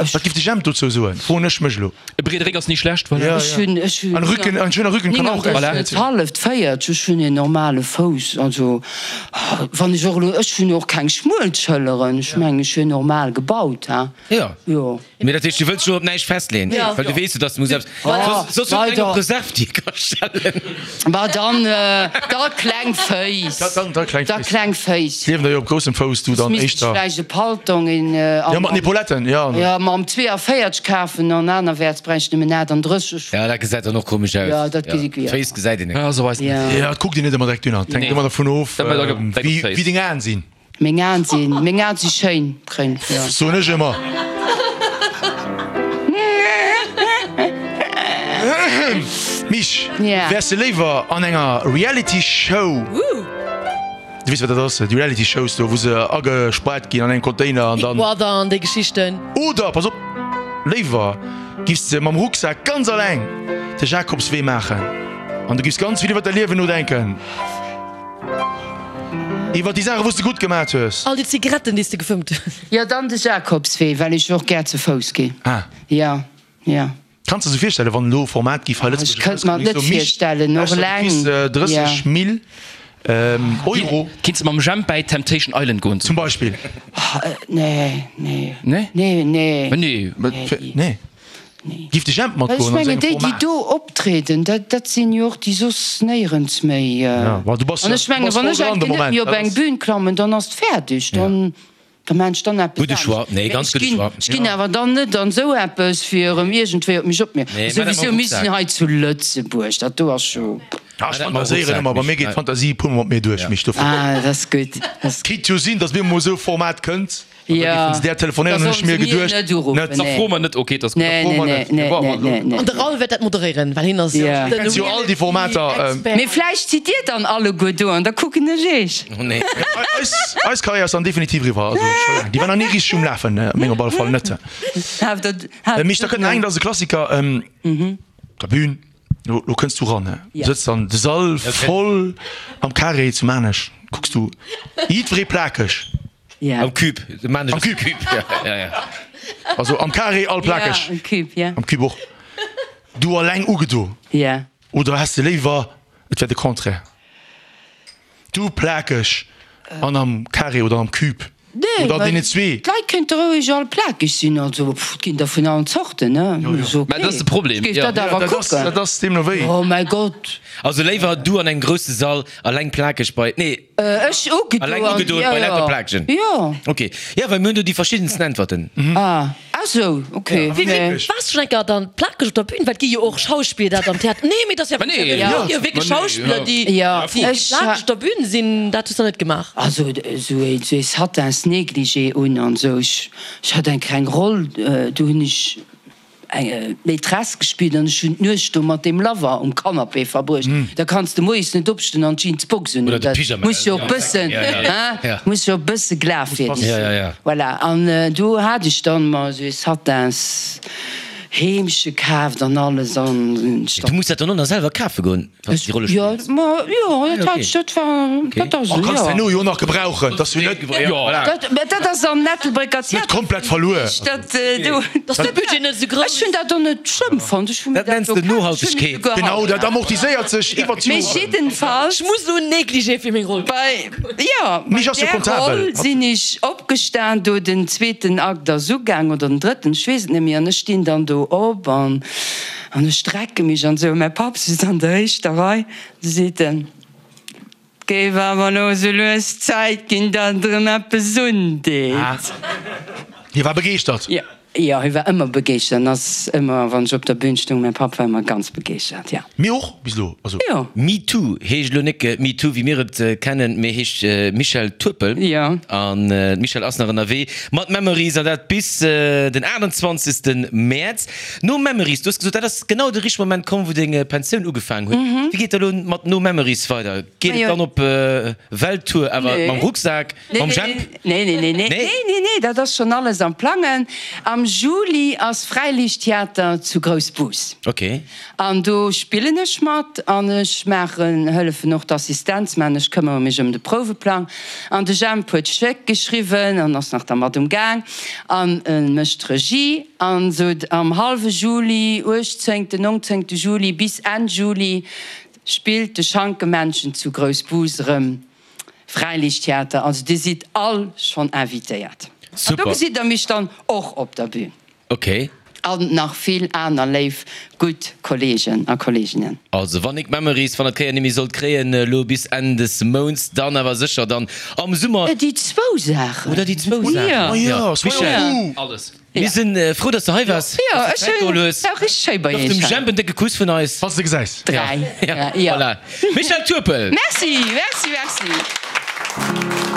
ech. Wat giff de Jemp dozou soen, froen ech mech elo. E breede Réck ass ni schlecht, voilà. Ech hunn, ech hunn. Ein Rücken, ein schöner Rücken kann auch voilà. Net halleft 40, ech hunn een normale Fouss, also wann ech och elo, ech hunn och keng schmuel Schëlleren, ech mengen ech wier normal gebaut, ha. Jo. Jo. Mee dat heescht, du wëlls elo op näischt festleeën, well du weess jo, dass du muss eppes, soss huet eng op Reserve, déi ka stellen. Ma dann, da kleng Féiss. Da kleng Da Féiss. kleng Féiss. Liewen der jo op groussem Fouss, du dann Misst ech éischter. vläicht e Paltong in, Jo, mat den Epauletten, jo. Jo, mam 42 kafen an anerwäerts bräicht ech nëmmen 38. Ja, dat gesäit dann och komesch aus. Jo, dat gesi, jo. D'Féiss gesäit een net. Ja, sou weist net. Jo, et kuckt een net ëmmer direkt dunner. Et hänkt ëmmer dervun of, wéi deng Aen sinn. Meng Aen sinn, meng Aen si schéin gréng, jo. Soen ech ëmmer. Mich, wäers de léiwer an enger Reality Show, du weess wat dat ass, déi Reality Shows do wou se agespaart ginn an engem Container an Big dann. Brother an déi Geschichten. Oder, pass op, léiwer giffs de mam Rucksak ganz alleng de Jakobswee maachen an du giffs ganz vill iwwer däi Liewen nodenken. Iwwer déi Saachen, wou s de gutt gemat hues. All déi Zigaretten, déi s de gefëmmt hues. Jo, dann de Jakobswee, well ech och gär ze Fouss ginn. Ah. Jo, jo. Kanns de se virstellen, wann elo Format giff hei Lëtzebuerg Ech kënnt mer et net virstellen, och eleng. Du kriss 30 Mil Euro. Kinns de mam Jemp bäi Temptation Island goen? Zum Beispill. Nee, nee. Nee? Nee, nee. Nee. Nee. Nee. Giff de Jemp Well ech matgoen an mengen, sengem déi, déi Format? do optrieden, dat, dat sinn jo och déi soss néierens méi. Ja, ma du bass An jo, ech du mengen, bass wann voll ech dran eng de Kéier net Moment. méi op Dat eng ass. Bühn klammen, dann ass et fäerdeg, dann, da maan ech dann eppes Gudde anescht. Choix. Nee, Mä ganz ech gudde ginn, Choix. ech ginn awer dann net an esou eppes, fir erëm iergendwéi op mech opmierk. Nee, maa dat mam Souwisou, mir sinn Rucksak. hei zu Lëtzebuerg, dat do ass jo. Ah, ech fantaséieren ëmmer, bei mir geet d'Fantasie e puermol mat mir duerch, Mich, dofir. Ah, dat ass gutt, dat ass gutt. Kéint jo sinn, datt mir emol esou e Format kënnt. An da géifen se där telefonéieren, hunn ech mir geduecht. Net. Da froe mer net, ok, dat ass gutt. Da froe mer net. Nee, nee, nee, nee. An de Raoul wäert dat moderéieren, well hien ass Jo. den Kenns jo all déi Formater. Mee vläicht sidd dir dann alleguer do an da kucken ech eech. Oh nee. Eis, eis Karriär ass dann definitiv eriwwer. Also scho laang. Déi war nach ni richteg um Lafen, meng op alle Fall net. Mich, da kënnt nach eng, dat ass e Klassiker, op der Bühn. Lo, lo kënns du ran, he? Sëtz dann de Sall voll am Carré zu Maarnech, kucks du jiddweree plakeg. Ja. Am Cube. De Maarnech Am ass Cube. Cube. Ja, ja, ja. Also am Carré all plakeg. Ja, am Cube, ja. Am Cube och. Du alleng ugedo. Ja. Oder häss de léiwer, et wär de Contraire? Du plakeg an am Carré oder am Cube. Nee, Oder deene zwee. D'Leit kéinte roueg all plakeg sinn, also pff, et ginn der vun allen Zorten, ne? Ass ok. Mä dat ass de Problem, Ech géif jo. dat awer kucken. Dat ass deemno wéi. Oh mäi Gott. Also léiwer du an engem grousse Sall alleng plakeg bei, nee. Ech ugedoen. Alleng ugedoen bei lauter Plakegen. Jo. Ok. Jo, well mir hunn do déi verschiddensten Äntwerten. Ah, ah sou, ok. Nee. Waars du schonn eng Kéier dann plakeg op der Bühn? Well et gi jo och Schauspiller dat am Theater. Nee, mee dat ass ja nee, jo wierklech Schauspiller, déi plakeg op der Bühn sinn. Dat hues du net gemaach? Also esou ee Satins Négligé un an esou. Ech hat eng kleng Roll, do hunn ech eng Maîtresse gespillt an ech hunn d'Nuecht do mat deem Lover um Canapé verbruecht. Da kanns de moies net opstoen an d'Jeansbox un hunn. Dat muss jo och bëssen, hein, muss jo och bësse glafwierdeg sinn. Voilà, an do hat ech dann mer esou ee Satins Heemche kaaft an alles an. Du muss dat dann och nach selwer kafe goen? Wann s de déi Rolle Jo, spills. ma jo, dat hat, dat war, dat ass Oh, esou, kanns jo. herno jo nach gebrauchen, dass du net, Dat, mä dat ass am Ettelbrécker net Theater komplett verluer. Dat do. Dass de Budget net esou grouss. Ech hunn dat och net schlëmm fonnt. Ech hu mir Dat nenns dat de do kaf, ech hunn et Nohaltegkeet. souguer Genau, haut dat nach. amortiséiert sech iwwert Mee d'Joren. jiddenfalls. Ech muss elo en Négligé fir meng Roll. Bei, jo, bei Mich ass jo där comptabel. Roll sinn ech opgestan, do den zweeten Akt ass ugaang, oder den drëtten, ech weess et net méi, an ech stinn dann do op an. An ech strecke mech an esou. Mäi Papp sitzt an der éischter Rei, du seet en, Et géif awer elo esou lues Zäit ginn, datt et erëm eppes undeet. Hie war begeeschtert. Jo, jo, hie war ëmmer begeeschtert an ass ëmmer, wann ech op der Bühn stoung, mäi Papp war ëmmer ganz begeeschtert, jo. Mir och, bis elo, also. Jo. MeToo heescht elo nek MeToo wéi mir et kennen, mee heescht Michèle Turpel. Jo. An d'Michèle ass nach ënnerwee mat Memories an dat bis den 28. Mäerz. No Memories, du hues gesot, dat ass genau de richtege Moment komm, wou deng Pensioun ugefaangen huet. Wéi geet da lo mat No Memories weider? Geet et dann op Welttour, awer mam Rucksak, mam Jemp? Nee, nee, nee, nee, nee, nee, dat ass schonn alles am Plangen. Am Juli ass Fräiliichttheater zu Groussbus. Ok. An do spillen ech mat an ech maachen, hëllefen och d'Assistenz maachen. Ech këmmere mech ëm de Prouweplang. An de Jemp huet d'Stéck geschriwwen an ass nach dermat um Gaang an e mécht d'Regie. An sou am hallwe Juli, uechtzéngten, nongzéngte Juli bis Enn Juli spillt de Schankemännchen zu Groussbus erëm Fräiliichttheater. Also dir sidd all schonn invitéiert. An do gesitt der mech dann och op der Bühn. Ok. An nach vill aner léif, gutt Kollegen a Kolleginnen. Also wann ik Memories van der Kéier nimmi sollt kréien elo bis Enn des Mounts, dann awer sécher dann am Summer. Déi zwou Saachen. Oder déi zwou Saachen. Jo, Michèle. Alles. Mir sinn frou, dass de hei waars, dass de Zäit geholl hues. Jo, ech hunn richteg schéi bei Gëff iech dem hei. Jemp en décke Kuss vun eis. Wann s de gesäis. Dräi. Ja, voilà. Michèle Turpel. Merci, merci, merci.